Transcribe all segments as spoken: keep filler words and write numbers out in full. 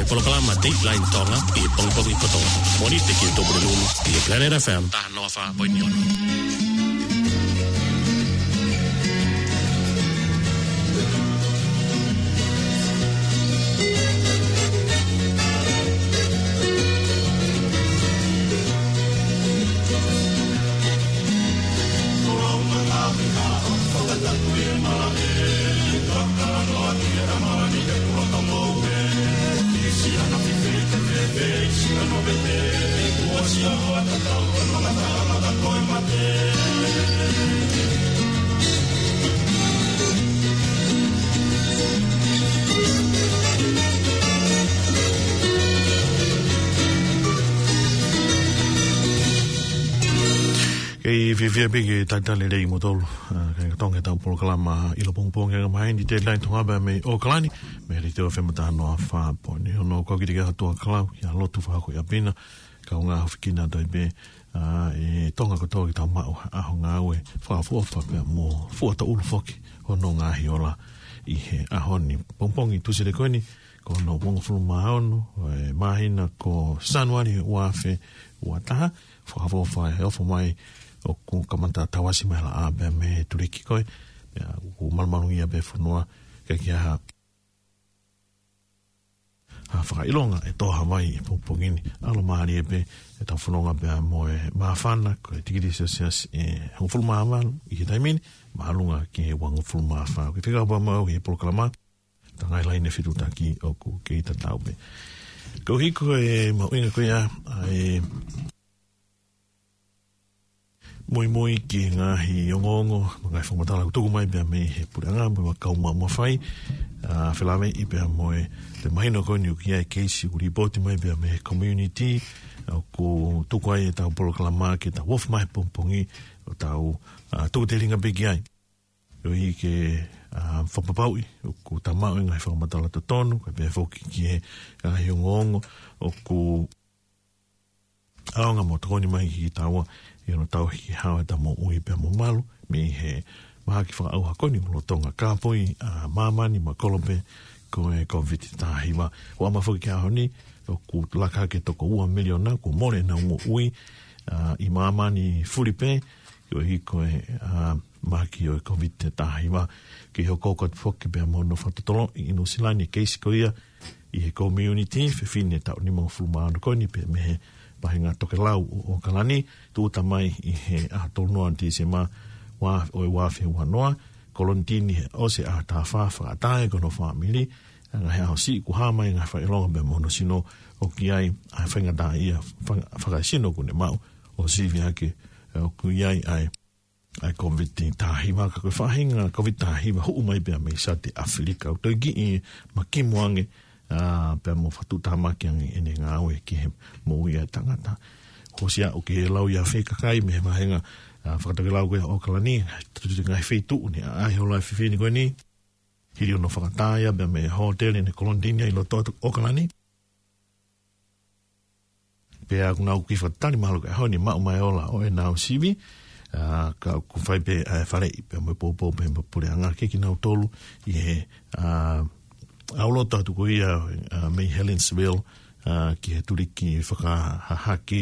Polokalama Dateline Tonga ʻi he pongipongi kotoa. Mōnite ki he Tupuna Lulu ʻi he Planet F M. Taha noa fā poini ono. Kei fiefia pē ke talitali lelei kimoutolu, ā, kae ʻatā ʻetau polokalama ʻi he pongipongi ʻa e ngaahi māhina, Dateline Tonga pea mei ʻAokalani, mei he Letiō F M taha noa fā poini ono. Ko au Kitiki Atuakalau, ʻia lotu fakahoko ʻi ʻapi na, kaungā hofo kinautolu pē, ā, ʻe Tonga kotoa ke tau maʻu ha ʻaho ngāue fakaʻofoʻofa pea mo fua tōʻulu foki hono ngaahi ola ʻi he ʻaho ni. Pongipongi Tūsite ko eni, ko hono uofulu mā ono ʻo e māhina ko Sānuali ua afe ua taha, fakaʻofoʻofa e ofo mai ʻoku kamata tauʻasi mai e laʻā pea mei he tuliki ko ē, pea ʻoku malumalu ia pē fonua, ʻikai ke ʻi ai ha ʻa e fakaʻilonga ʻe tō ha vai ʻi he pongipongi ni. ʻAlomālie pē ʻetau fononga pea mo e māfana, ko e tikilī Celsius ʻe hongofulu mā valu ʻi he taimi ni, māʻolunga ki he uangofulu mā fā. Ko e fekau pē maʻau ʻi he polokalama, tangai laine fetuʻutaki ʻoku kei tatau pē. Koeʻuhi ko e mahuʻinga ko ia ʻa e muimui ki he ngaahi ongoongo, ngaahi fakamatala ʻoku tuku mai pea mei he puleʻanga mo e kau maʻu mafai, ā, felāveʻi pea mo e, pea mahino ko eni ʻoku ʻi ai e keisi ʻoku lipooti mai pea mei he community, ʻoku tuku ai ʻetau polokalama ke tau ofi mai he pongipongi ʻo tau, ā, tuku telinga pē ki ai. Koeʻuhi ke, ā, fakapapauʻi ʻoku tau maʻu e ngaahi fakamatala totonu, kae pehē foki ki he ngaahi ongoongo ʻoku ʻaonga mo tokoni mai kiate kitaua ʻi hono tauhi ke hao ʻetau moʻui pea mo malu mei he mahaki fakaʻauha ko eni ʻoku lolotonga kāpoi ʻa māmani mo e kolope ko e Kōviti taha hiva. ʻOku ʻamanaki foki ki he ʻaho ni ʻoku laka hake toko ua miliona kuo mole ʻenau moʻui, ā, ʻi māmani fulipē, koeʻuhi ko e, ā, mahaki ʻo e Kōviti taha hiva. Kei hoko atu foki pea mo hono fakatotoloʻi ʻi Nuʻusila ni e keisi ko ia ʻi he community, fefine taʻu nimangofulu mā ono ko eni pea mei he vahenga tokelau ʻo ʻAokalani, tūʻuta mai ʻi he ʻaho tolu noa Tīsema ua, ʻo e ua afe ua noa, kolonitini he ʻosi e ʻaho taha fā, fakaʻatā ai ko hono fāmili, ʻa e ngaahi ʻaho siʻi kuo hā mai e ngaahi fakaʻilonga pea mo hono sino ʻoku ʻi ai ʻa e faingataʻaʻia faka-, fakaesino kuo ne maʻu ʻo sivi hake, ē, ʻoku ʻi ai ʻa e ʻa e Kōviti taha hiva, ka ko e faʻahinga Kōviti taha hiva huʻu mai pea mei South Africa, ʻoku toe kiʻi makimu ange, ā, pea mo fakatuʻutāmaki ange ʻene ngāue ki he moʻui ʻa e tangata. Hū sia ʻoku ke lau ia fē kakai mei he vahenga, ā, fakatokelau ko ia ʻo ʻAokalani, tutu ngaahi feituʻu ni, ʻa e ʻaʻahi hola e fefine ko eni, hili hono fakaʻatā ia pea mei he hōtele ne kolonitini ai ʻi loto atu ʻAokalani. Pea ʻoku nau kiʻi fakatali mahalo ko e ʻaho ni maʻu mai e ola ʻo ʻenau sivi, ā, ka ʻoku fai pē ʻa e faleʻi pea mo e poupou pē mo e puleʻanga ke kinautolu ʻi he, ā, ʻalu loto atu ko ia, ā, mei Helensville, ā, ki he tuliki fakahahake,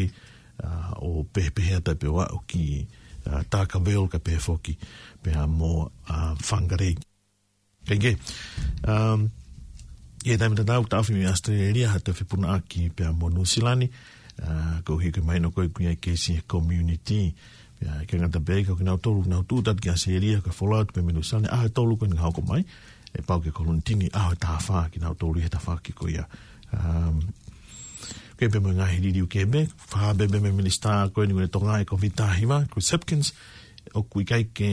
ā, ʻo pehē pē ʻa e taʻe pē ʻo aʻu ki, ā, Dargaville kae pehē foki pea mo, ā, Whangarei. Kae kehe, um, ʻi he taimi tatau, taʻofi mei ʻAositelēlia ha toe fepunaʻaki pea mo Nuʻusila ni, ā, koeʻuhi ko e mahino ko ē ʻoku ʻi ai e keisi he community. Pea ʻikai ngata pē ai, ka ko kinautolu ʻoku nau tūʻuta atu ki ʻAositelēlia, ka folau atu pē mei Nuʻusila ni, ʻaho ʻe tolu ko eni ka hoko mai, ʻe pau ke kolonitini ʻaho ʻe taha fā kinautolu ʻi he tafaʻaki ko ia. Um, ʻoku ʻi ai pē mo e ngaahi liliu kehe pē, fakahā pē mei he minisitā ko eni ʻo e Tonga ʻo e Kōviti taha hiva, Chris Hipkins, ʻoku ʻikai ke,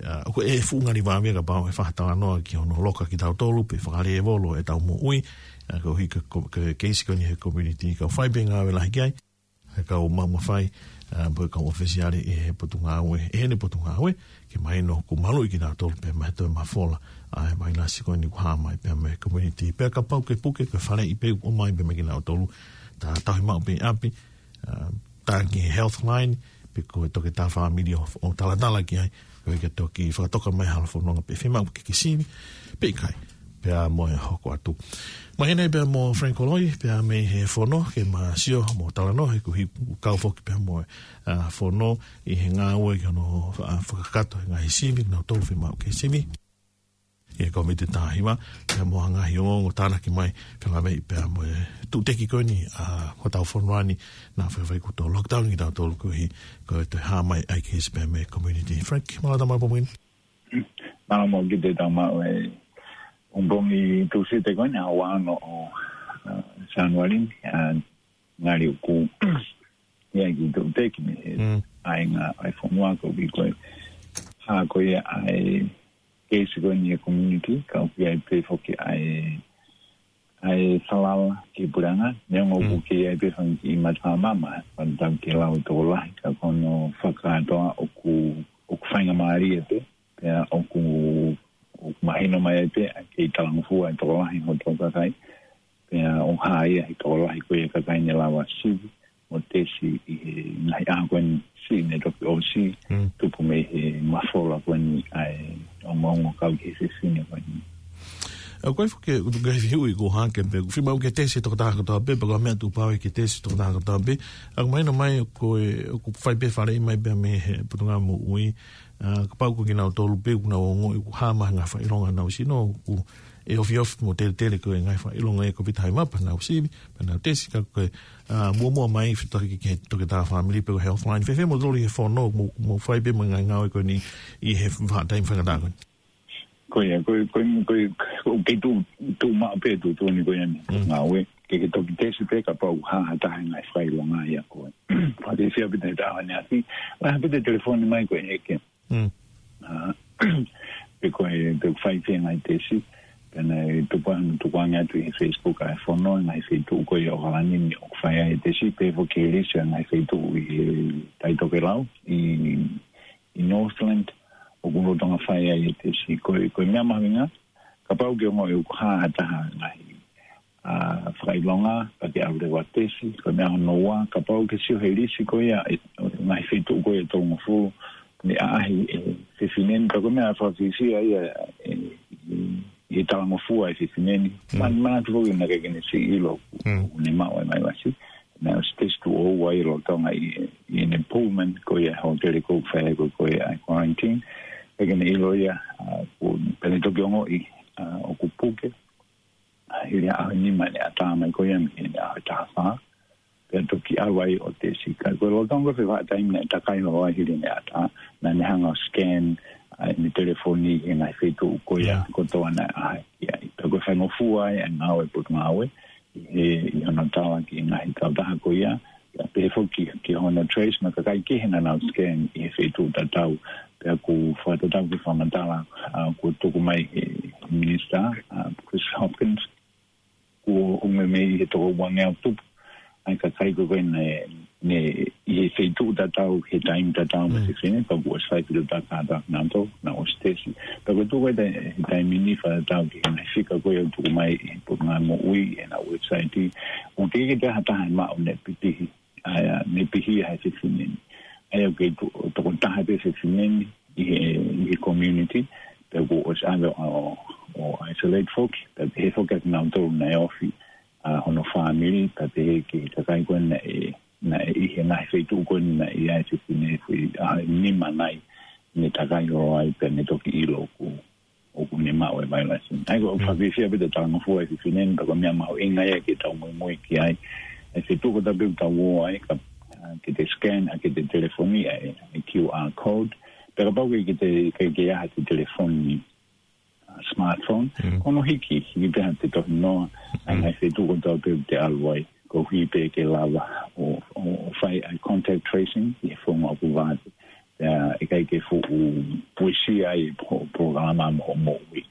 ā, ʻoku ʻe fuʻu ngali vave kapau ʻe fakatalanoa ki hono loka kitautolu pe fakalēvolo ʻetau moʻui, ā, koeʻuhi ko e, ko e keisi ko eni he community, ka ʻoku fai pē ngāue lahi ki ai ʻa e kau maʻu mafai, ā, mo e kau ʻōfisiale ʻi he potungāue, ʻi heʻene potungāue, ke mahino ʻoku maluʻi kinautolu pea mo e toe mafola ʻa e vailasi ko eni ʻoku hā mai pea mei he community. Pea kapau ʻoku ke puke, ko e faleʻi pē ʻoku ʻomai pē mei kinautolu, tā tauhi maʻu pē ʻi ʻapi, ā, tā ki he Healthline, pe ko e toketā fāmili ʻo, ʻo talatala ki ai, koeʻuhi ke toki fakatoka mai ha halafononga pe fiemaʻu ke ke sivi pe ʻikai. Pea mo e hoko atu. Mahino pea mo Frank Koloi, pea mei he fono, ke ma sio mo talanoa, he kuo hiki kau foki pea mo e, ʻa, fono, ʻi he ngāue ki hono, ʻa, fakakakato e ngaahi sivi, nau tolu fiemaʻu ke sivi. ʻI he Kōviti taha hiva, pea mo e ngaahi ongoongo tānaki mai, pea mei pea mo e tuʻuteki ko eni, ʻa, hotau fonua ni, naʻa faifai kuo toe lockdown kitautolu koeʻuhi, ko e toe hā mai ʻa e keisi pea mei he community. Frank, mālō e tau maʻu e pongipongi ni. Mālō mo kite tau maʻu e pongipongi Tūsite ko eni, ʻaho ono ʻo, ʻa, Sānuali, ʻa, ngali ʻoku ʻi ai e kiʻi tuʻuteki mei he Mm. ʻāinga ʻa e fonua koeʻuhi ko e hā ko ia ʻa e keisi ko eni ʻi he community, ka ʻoku ʻi ai pē foki ʻa e ʻa e falala ki he puleʻanga, neongo ʻoku Mm. kei ʻi ai pē fanga kiʻi matamaama, fakatatau ki he lau ʻa e tokolahi, ka ko hono fakakātoa ʻoku, ʻoku faingamālie pē, pea ʻoku, ʻoku mahino mai ai pē, ʻa e kei talangofua ʻa e tokolahi hotau kakai, pea ʻoku hā ia he tokolahi ko ia e kakai ne lava sivi, mo tesi ʻi he ngaahi ʻaho ko eni siʻi ne toki ʻosi, Mm. tupu mei he mafola ko eni ʻa e ongoongo kau ki he fefine ko eni. ʻA, ko e fuke, ʻoku tuku ai fiu i ko hake pē, ʻoku fiemaʻu ke tesi tokotaha kotoa pē, pea ko e meʻa tuʻu pau ke tesi tokotaha kotoa pē. ʻA, ʻoku mahino mai ko e, ʻoku fai pē faleʻi mai pē mei he Potungāue Moʻui, ʻa, kapau ko kinautolu pē, ʻoku nau ongoʻi, ʻoku hā mai ha ngaahi fakaʻilonga ʻi honau sino, ʻoku ʻe ofiofi mo teletele ko e ngaahi fakaʻilonga ʻi he Kōviti taha hiva pea nau sivi, pea nau tesi ka ko e, ʻa, muʻomuʻa mai fetaki ki he toketā fāmili pe ko e healthline. Fēfē mo toli he fono mo, mo fai pē mo e ngaahi ngāue ko eni ʻi he vahaʻa taimi faingataʻa ko eni. Ko ia, ko, ko, ko, ko, ke tu, tu maʻu pē tu, tu ni ko ia ni. Mm. Ngāue, ke, ke toki tesi pē kapau ha, ha taha ngaahi fakaʻilonga ia ko e. Pati fia pita he taha ni aki, la pita telefoni mai ko e eke. Mm. ʻA, pe ko e, pe ko e fai fē ngaahi tesi, pea naʻe tupu ʻa hono tukuange atu ʻi he Facebook ʻa e fono, ngaahi feituʻu ko ia ʻo ʻAokalani ni ʻoku fai ai e tesi, pe foki e lisi ʻa e ngaahi feituʻu ʻi he Taitokelau, ʻi, ʻi Northland, ʻoku lolotonga fai ai e tesi. Ko e, ko e meʻa mahuʻinga, kapau ke ongoʻi ʻoku hā ha taha ngaahi ʻa, fakaʻilonga, ka ke ʻalu leva ʻo tesi, ko e meʻa hono ua, kapau ke sio he lisi ko ia, ʻe, ngaahi feituʻu ko ia ʻe tolungofulu, ne ʻaʻahi, ʻe, fefine ni, ka ko e meʻa fakafiefia ia, ʻe, ʻe, ʻe talangofua e fefine ni. Mm. Man, man atu foki naʻe ʻikai ke ne siʻi ʻilo, Mm. ʻoku ne maʻu e vailasi. Naʻe ʻosi tesi tuʻo ua ʻi lolotonga ʻi, ʻi heʻene Pullman, ko ia hōtele ko ē ʻoku fai ai ko ē ʻa e quarantine. ʻIkai ke ne ʻilo ia, ʻa, ko, pea ne toki ongoʻi, ʻa, ʻoku puke. ʻA, hili ʻaho ʻe nima ne ʻatā mai ko ia mei he ʻaho ʻe taha fā. Pea toki ʻalu ai ʻo tesi ka ko e lolotonga ko e vahaʻa taimi naʻe takai holo ai hili ne ʻatā, naʻa ne hanga ʻo scan, ʻa, ʻene telefoni he ngaahi feituʻu ko ia Yeah. kotoa naʻe ʻaʻahi ki ai. Pea ko e faingofua ai ʻa e ngāue ʻa e Potungāue, ʻi he, ʻi hono tala ki he ngaahi kautaha ko ia, pea pehē foki ki hono trace mo e kakai kehe naʻa nau scan ʻi he feituʻu tatau, pea ʻoku fakatatau ki he fakamatala, ʻa, kuo tuku mai he Minisitā, ʻa, Chris Hopkins, kuo ʻomi mei he toko uangeau tupu ʻa e kakai ko ē naʻe, ne ʻi he feituʻu tatau, he taimi tatau mo e Mm. fefine, pea kuo ʻosi fai feituʻu tatau, naʻa nau ō, naʻa nau ō ʻo tesi. Pea ko e tuʻu ko ē he taimi ni fakatatau ki he ngaahi fika ko ia ʻoku tuku mai ʻe he Potungāue Moʻui, ʻi heʻena website, ʻoku ʻikai ke toe ʻi ai ha taha ʻe maʻu ne pipihi, ʻa ia, ne pihi ʻa e fefine ni. ʻA ia ʻoku kei to-, tokotaha pē fefine ni ʻi he, ʻi he community, pea kuo ʻosi ʻave ʻo, ʻo isolate foki, pea pehē foki ʻa kinautolu naʻe ofi, ʻa, hono fāmili, pea pehē ki he kakai ko ē naʻe, naʻe ʻi he ngaahi feituʻu ko ē naʻe ʻi ai e fefine ni, ʻa, ʻe nima nai, ne takai holo ai pea ne toki ʻilo ʻoku ʻoku ne maʻu e vailasi. ʻA ia ko e Mm. fakafiefia pē ʻa e talangofua ʻa e fefine ni, pea ko e meʻa mahuʻinga ia ke tau muimui ki ai. ʻA e feituʻu kotoa pē ʻoku tau ō ai, ka, ʻa, ke te scan, ʻa, ke te telefoni, ʻa e, ʻa e Q R code. Pea kapau ʻoku ʻikai ke te, ke, ke ʻi ai haʻate telefoni, ʻa, smartphone, Mm. ko hono hiki, hiki pē haʻate tohinoa, ʻa e Mm. ngaahi feituʻu kotoa pē ʻoku te ʻalu ai, koeʻuhi pē ke lava ʻo, ʻo, ʻo fai ʻa e contact tracing, ʻi he founga ʻoku vave. Pea ʻikai ke fuʻu puisi ai e po-, polokalama mo, moʻui.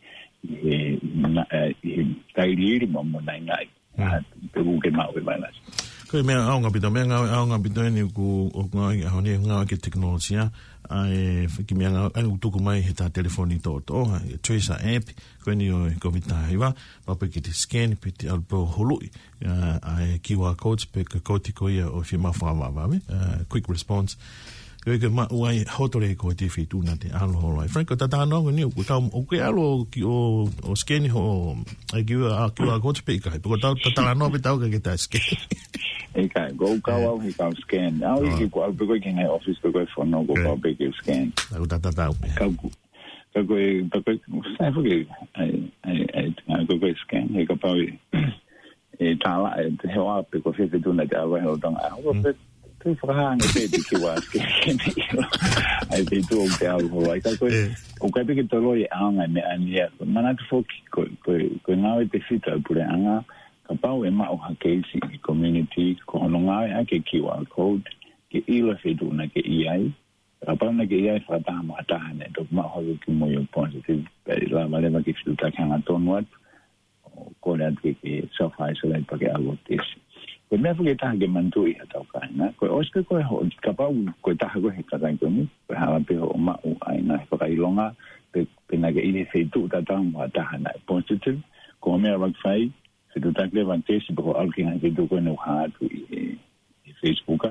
ʻI he, na-, ʻi he tailiili mo, mo naʻinaʻi. Mm. ʻA, pe ʻoku ke maʻu e vailasi. Ko e meʻa ʻaonga ʻaupito, meʻa ngāue ʻaonga ʻaupito eni ʻoku, ʻoku ngāue ʻi he ʻaho ni, ngāue ki he tekinolosia, ʻa e, ki he meʻa ngāue, ʻa ia ʻoku tuku mai he tā telefoni toʻotoʻo, ʻa e Tracer app, ko eni ʻo e Kōviti taha hiva, pea pehē ki he scan, pea te ʻalu pē ʻo huluʻi, ʻa, ʻa e Q R codes, pe ko e koti ko ia ʻoku fiemaʻu fakavavevave, ʻa, quick response. Ko e ke maʻu ai hoʻo tole ko e feituʻu naʻa te ʻalu holo ai. Frank, ko e talanoa ko eni, ʻoku tau, ʻoku ke ʻalu ʻo ki ʻo, ʻo scan hoʻo, ʻai ki ua, ki ua ko te pē ʻikai. Pe ko tau talanoa pē tau ka ke ta scan. ʻIkai, ko u kau au he kau scan. Au ʻi ki ko au pē ko e ki he ngaahi office pē ko e fono ko kau pē ke scan. Au ta ta tau pē. Kau ku, kau ko e, kau ko e, sai fo ke, ai, ai, ai, ai, kau ko e scan, he kapau ʻe, e tala, e te hoa pe ko e feituʻu naʻa te ʻalu ai he lolotonga. Au ko pē, te fakahanga pē te ki ua scan, ke ne ʻilo. Ai feituʻu ʻoku te ʻalu holo ai. Kau ko e, ʻoku ʻikai pē ke toloi e ʻaonga e meʻa ni ia. Manatu foki, ko, ko, ko e ngāue tefito e puleʻanga, kapau ʻe maʻu ha keisi ʻi he community, ko hono ngāueʻaki e Q R code, ke ʻilo e feituʻu naʻa ke ʻi ai, kapau naʻa ke ʻi ai fakataha mo ha taha naʻe toki maʻu hake ki mui ʻo positive, pea ʻe lava leva ke fetuʻutaki hangatonu atu, ʻo kole atu ke, ke self isolate pea ke ʻalu ʻo tesi. Ko e meʻa foki ʻe taha ke manatuʻi ʻi ha tau kāinga, ko e ʻosi pē ko e ho, kapau ko e taha ko e he kakai ko eni, ko e hala pē hoʻo maʻu ai ngaahi fakaʻilonga, pe, pe naʻa ke ʻi he feituʻu tatau mo ha taha naʻe positive, ko e meʻa ʻoku fai, fetuʻutaki leva tesi pe ko e ʻalu ki he ngaahi feituʻu ko eni ʻoku hā atu ʻi he, ʻi he Facebook,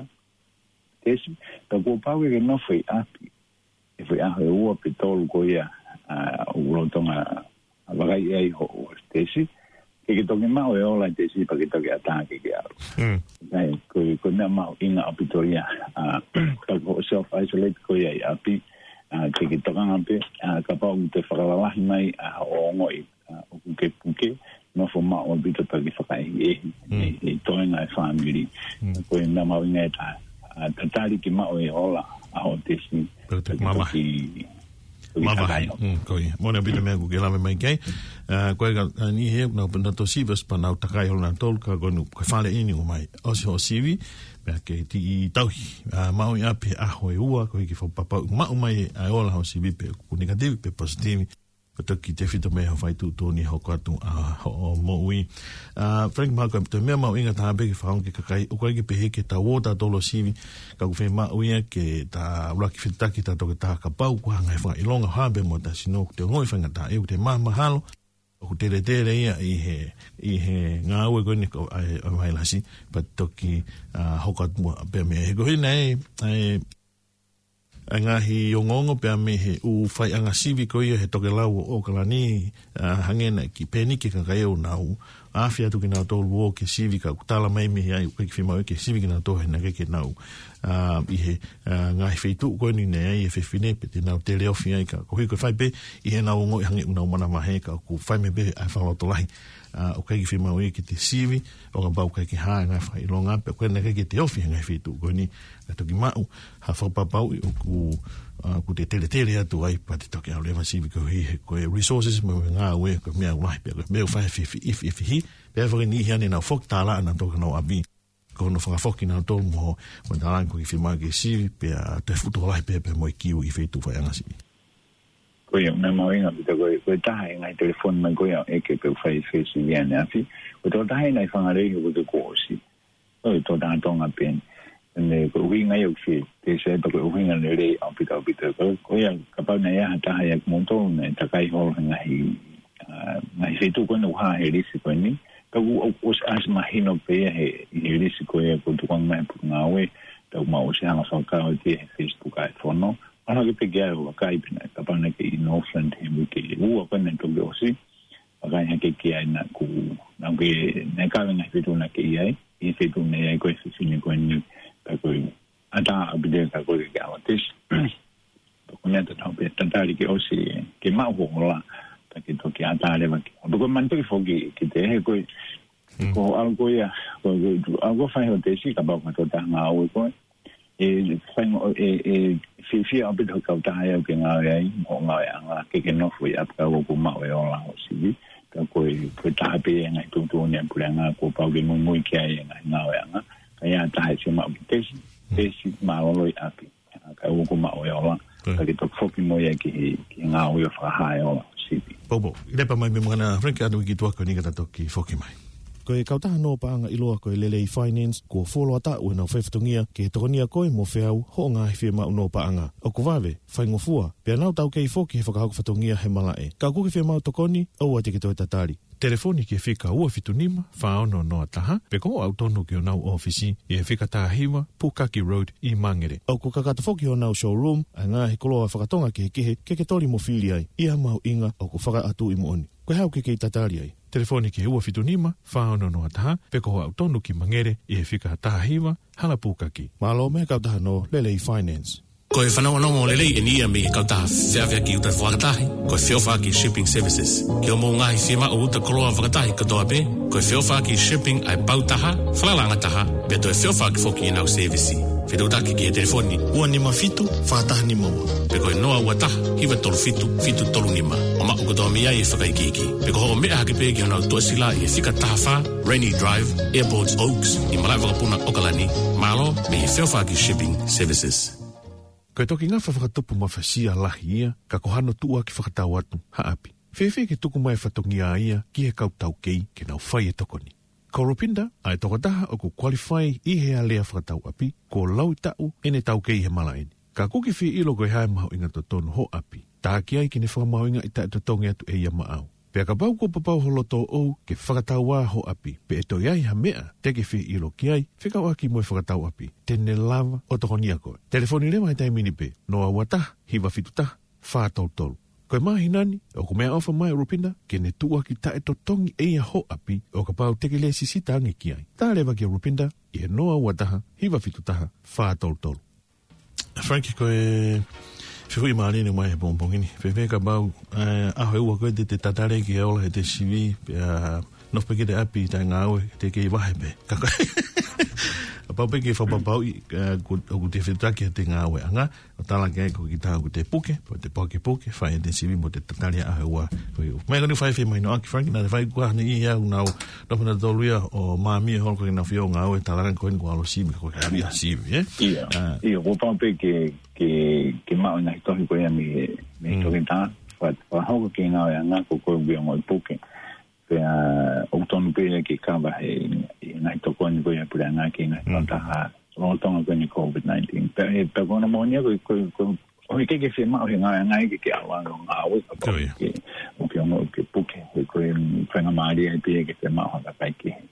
tesi, ka kuo pau ke ke nofo ʻi ʻapi. ʻE foʻi ʻaho ʻe ua pe tolu ko ia, a, ʻoku lolotonga, a, vakai ai hoʻo tesi. Ke ke toki maʻu e ola tesi pea ke toki ʻatā ke ke ʻalu. Mm. Kai, ko, ko e meʻa mahuʻinga ʻaupito ia, a, ka ko e self isolate ko ia ʻi ʻapi, a, ke ke tokanga pē, a, kapau ʻoku te fakalalahi mai, a, ʻo ongoʻi, a, ʻoku ke puke, nofo maʻu ʻaupito pea ke fakaʻehiʻehi, mm, e, e toenga e fāmili. Mm. Ko e meʻa mahuʻinga ʻe taha, a, tatali ke maʻu e ola, a, hoʻo tesi. Pea ke toki mavahe. Toki, toki mavahe. Mavahe. Mm, ko ia. Moʻoni ʻaupito meʻa ʻoku ke lave mai ki ai. A, ko e ka, a, ni he, nau, nau tō sivi ʻosi pea nau takai holo nautolu ka ko eni, ko e fale eni ʻoku mai. ʻOsi hoʻo sivi, pea ke ti i tauhi. A, maʻu ʻi ʻapi ʻaho ʻe ua, ko e hiki fakapapau, maʻu mai ʻa e ola hoʻo sivi pe ʻoku negative pe positive. Ko e toki tefito mei he fai tuʻutuʻuni hoko atu ʻa hoʻo moʻui. A, Frank, mahalo ko e meʻa mahuʻinga taha pē ke fakaongo ki he kakai, ʻoku ʻikai ke pehē ke tau ō tautolu ʻo sivi, ka ʻoku fiemaʻu ia ke ta ʻuluaki fetuʻutaki tautolu ki he taha kapau, ko e hā e ngaahi fakaʻilonga, hā pē mo ta sino, ʻoku te ongoʻi faingataʻa, ʻoku te mahamahalo, ʻoku teletele ia ʻi he, ʻi he ngāue ko eni ko, ʻa e, ʻa e vailasi, pea toki, a, hoko atu muʻa pē mei he ko eni ʻa e, ʻa e, ʻa e ngaahi ongoongo pea mei he ʻū faiʻanga sivi ko ia he tokelau ʻo ʻAokalani, a, hangē naʻe kiʻi pēniki e kakai ʻo nau afe atu kinautolu ʻo ō ke sivi ka ʻoku tala mai mei ai ʻoku ʻikai ke fiemaʻu ke sivi kinautolu he naʻe ʻikai ke nau, a, ʻi he, a, ngaahi feituʻu ko eni naʻe ʻi ai e fefine pe te nau teleofi ai ka koeʻuhi ko e fai pē ʻi heʻenau ongoʻi hangē ʻoku nau manavahē ka ʻoku fai mai pē ʻa e fakalotolahi. A, ʻoku ʻikai ke fiemaʻu ia ke te sivi, ʻo kapau ʻoku ʻikai ke hā e ngaahi fakaʻilonga, pe ʻoku ʻikai ke te ofi he ngaahi feituʻu ko eni, ka toki maʻu ha fakapapauʻi ʻoku, a, ʻoku te teletele atu ai, pea te toki ʻalu leva sivi koeʻuhi he ko e resources mo e ngāue, ko e meʻa ʻoku lahi pea ko e meʻa ʻoku fai he fifi, ifi, ifi hi, pea foki niʻihi ʻanenai ʻoku foki tālaʻa nautolu ki honau ʻapi. Ko hono fakafoki nautolu mo, mo e tālanga ʻoku ʻikai ke fiemaʻu ke sivi, pea te futu lahi pē, pea mo e kiu ʻi he feituʻu faiʻanga sivi. Ko ia, meʻa mahuʻinga ʻaupito ko e, ko e taha e ngaahi telefoni mai ko ia ʻeke pe ʻoku fai fesivi ʻaneafi. Ko e tokotaha ʻi he ngaahi fanga lelei he ko e kuo ʻosi. Ko e tokotaha Tonga pē eni. ʻE, ko e ʻuhinga ia ʻoku fie, te se pa ko e ʻuhinga lelei ʻaupito, ʻaupito. Ko, ko ia, kapau naʻe ʻi ai ha taha ia kimoutolu naʻe takai holo he ngaahi, a, ngaahi feituʻu ko eni ʻoku hā he lisi ko eni. Ka ʻoku, ʻoku ʻosi ʻasi mahino pē ia he, he lisi ko ia ʻoku tukuange mai he potungāue. Tau mau ʻosi hanga fakakau atu he Facebook ʻa e fono. Mahalo ke pehē ʻe au ʻa e kakai pē naʻe, kapau naʻa ke ʻi Northland he uike ʻe ua ko eni naʻe toki ʻosi. Vakai hake ki ai naʻa ku, naʻa ke, naʻe kau e ngaahi feituʻu naʻa ke ʻi ai, ʻi he feituʻu naʻe ʻi ai ko e fefine ko eni, ka ko e ʻatā ʻaupito ka ko e ke ʻalu ʻo tesi. Ko e meʻa tatau pē, tatali ke ʻosi, ke maʻu hoʻo ola, ka ke toki ʻatā leva ke. Pea ko e manatuʻi foki ke te he ko e, mm, ko e ʻalu ko ia, ko e, ko e ʻalu ko e fai hoʻo tesi, kapau ko e tokotaha ngāue koe, ʻe faingo, ʻe, ʻe fiefia ʻaupito e kautaha ʻoku ke ngāue ai, mo hoʻo ngāueʻanga, ke ke nofo ʻi ʻapi ka ʻoku maʻu e ola hoʻo sivi, ka ko e, ko e taha pē e ngaahi tuʻutuʻuni ʻa e puleʻanga, kuo pau ke muimui ki ai e ngaahi ngāueʻanga, ka ʻi ai ha taha ʻe fiemaʻu ke tesi, mm, tesi mālōlō ʻi ʻapi. Ka ʻoku maʻu e ola, mm, ka ke toki foki mo ia ki he, ki he ngāue ʻo fakahā e ola hoʻo sivi. Poupou, lepa mai mei mui ʻana, Frank, ʻa e uike tuʻa ko eni ka ta toki foki mai. Ko e kautaha nō paʻanga ʻiloa ko e Lelei Finance, kuo fuoloa taʻu ʻenau faifatongia ke tokonia koe mo feau hoʻo ngaahi fiemaʻu nō paʻanga. ʻOku vave, faingofua, pea nau taukei foki he fakahoko fatongia he malaʻe. Ka ʻoku ke fiemaʻu tokoni, ʻoua te ke toe tatali. Telefoni ki he fika ua fitu nima, fā ono noa taha, pe ko hoʻo aʻu tonu ki honau ʻōfisi ʻi he fika taha hiva, Pukaki Road ʻi Mangere. ʻOku kakato foki honau showroom ʻa e ngaahi koloa fakatonga kehekehe ke ke toli mo fili ai ʻi ha mahuʻinga ʻoku fakaʻatu ʻi moʻoni. Ko e hā ʻoku ke kei tatali ai? Telefoni ki he ua fitu nima, fā ono noa taha, pe ko hoʻo aʻu tonu ki Mangere ʻi he fika taha hiva, Hala Pukaki. Mālō mei he kautaha no Lelei Finance. Ko e fanongonongo lelei eni ia mei he kautaha feʻaveʻaki uta fakatahi, ko e Feʻofaʻaki Shipping Services. Ki hoʻomou ngaahi fiemaʻu uta koloa fakatahi kotoa pē, ko e Feʻofaʻaki Shipping ʻa e pau taha, falalaʻanga taha, pea toe feʻofaʻaki foki ʻenau sēvisi. Fetuʻutaki ki he telefoni ua nima fitu, fā taha nima ua, pe ko e noa ua taha, hiva tolu fitu, fitu tolu nima. ʻO maʻu kotoa mei ai e fakaikiiki. Pe ko hoʻo meʻa hake pē ki honau tuʻasila ʻi he fika taha fā, Rainy Drive, Airports Oaks, ʻi Malaʻevakapuna, ʻOkalani. Mālō mei he Feʻofaʻaki Shipping Services. Ko e toki ngafa fakatupu mafasia lahi ia, ka ko hano tuʻuaki fakatau atu ha ʻapi. Fēfē ke tuku mai e fatongia ia ki he kau taukei ke nau fai e tokoni? Ko Rupinda ʻa e tokotaha ʻoku qualify ʻi he alea fakatau ʻapi, kuo laui taʻu ʻene taukei he malaʻe ni. Ka ʻoku ke fie ʻilo ko e hā e mahuʻinga totonu hoʻo ʻapi, tā ki ai ke ne fakamahuʻingaʻi taʻetotongi atu ʻe ia maʻau. Pea kapau kuo papau ho loto ʻoʻou ke fakatau ā hoʻo ʻapi, pe ʻe toe ʻi ai ha meʻa te ke fie ʻilo ki ai, fekauʻaki mo e fakatau ʻapi, te ne lava ʻo tokonia koe. Telefoni leva he taimi ni pē, noa ua taha, hiva fitu taha, fā tolu tolu. Ko e māhina ni, ʻoku meʻaʻofa mai ʻa Rupinda ke ne tuʻuaki taʻetotongi ʻe ia hoʻo ʻapi, ʻo kapau te ke lēsisita ange ki ai. Tā leva kia Rupinda ʻi he noa ua taha, hiva fitu taha, fā tolu tolu. Frank, ko e fehuʻi mālie eni mai he pongipongi ni. Fēfē kapau, ē, ʻaho ʻe ua ko ē te te tatali ki he ola he te sivi, pea nofo pē ki he ʻapi taʻe ngāue, te kei vahe pē. Ka ko e, kapau pē ke fakapapauʻi, ē, ʻoku, ʻoku te fetuʻutaki he te ngāueʻanga, ʻo tala ki ai ko kita ʻoku te puke, pe te pukepuke, fai e te sivi mo te tatali ʻaho ʻe ua. Ko ia. Mai kani fai fai mai no aki Frank, naʻe fai kuo ʻi ai e au nau, nofo nautolu ia ʻo māmie holo ko kinautolu ʻo ngāue, talaange ko eni kuo ʻalu sivi, ko ke ʻalu ia sivi, ē? ʻIo, ʻio, kuo pau pē ke, ke, ke maʻu e ngaahi tohi ko ia mei, mei he toketā, fa-, fakahoko ki he ngāueʻanga ko koe ʻoku ke ongoʻi puke. Pea ʻoku tonu pē ia ke kava he, he ngaahi tokoni ko ia ʻa e puleʻanga ki he ngaahi kautaha lolotonga ko eni COVID nineteen. Pea, pea ko hono moʻoni ia ko, ko, ko, ʻoku ʻikai ke fiemaʻu he ngaahi, ngaahi ke, ke ʻalu ʻo ngāue, ka ʻoku ʻikai ke, ʻoku ke ongoʻi ʻoku ke puke, he ko e faingamālie pē ia ke fiemaʻu ha kakai kehe.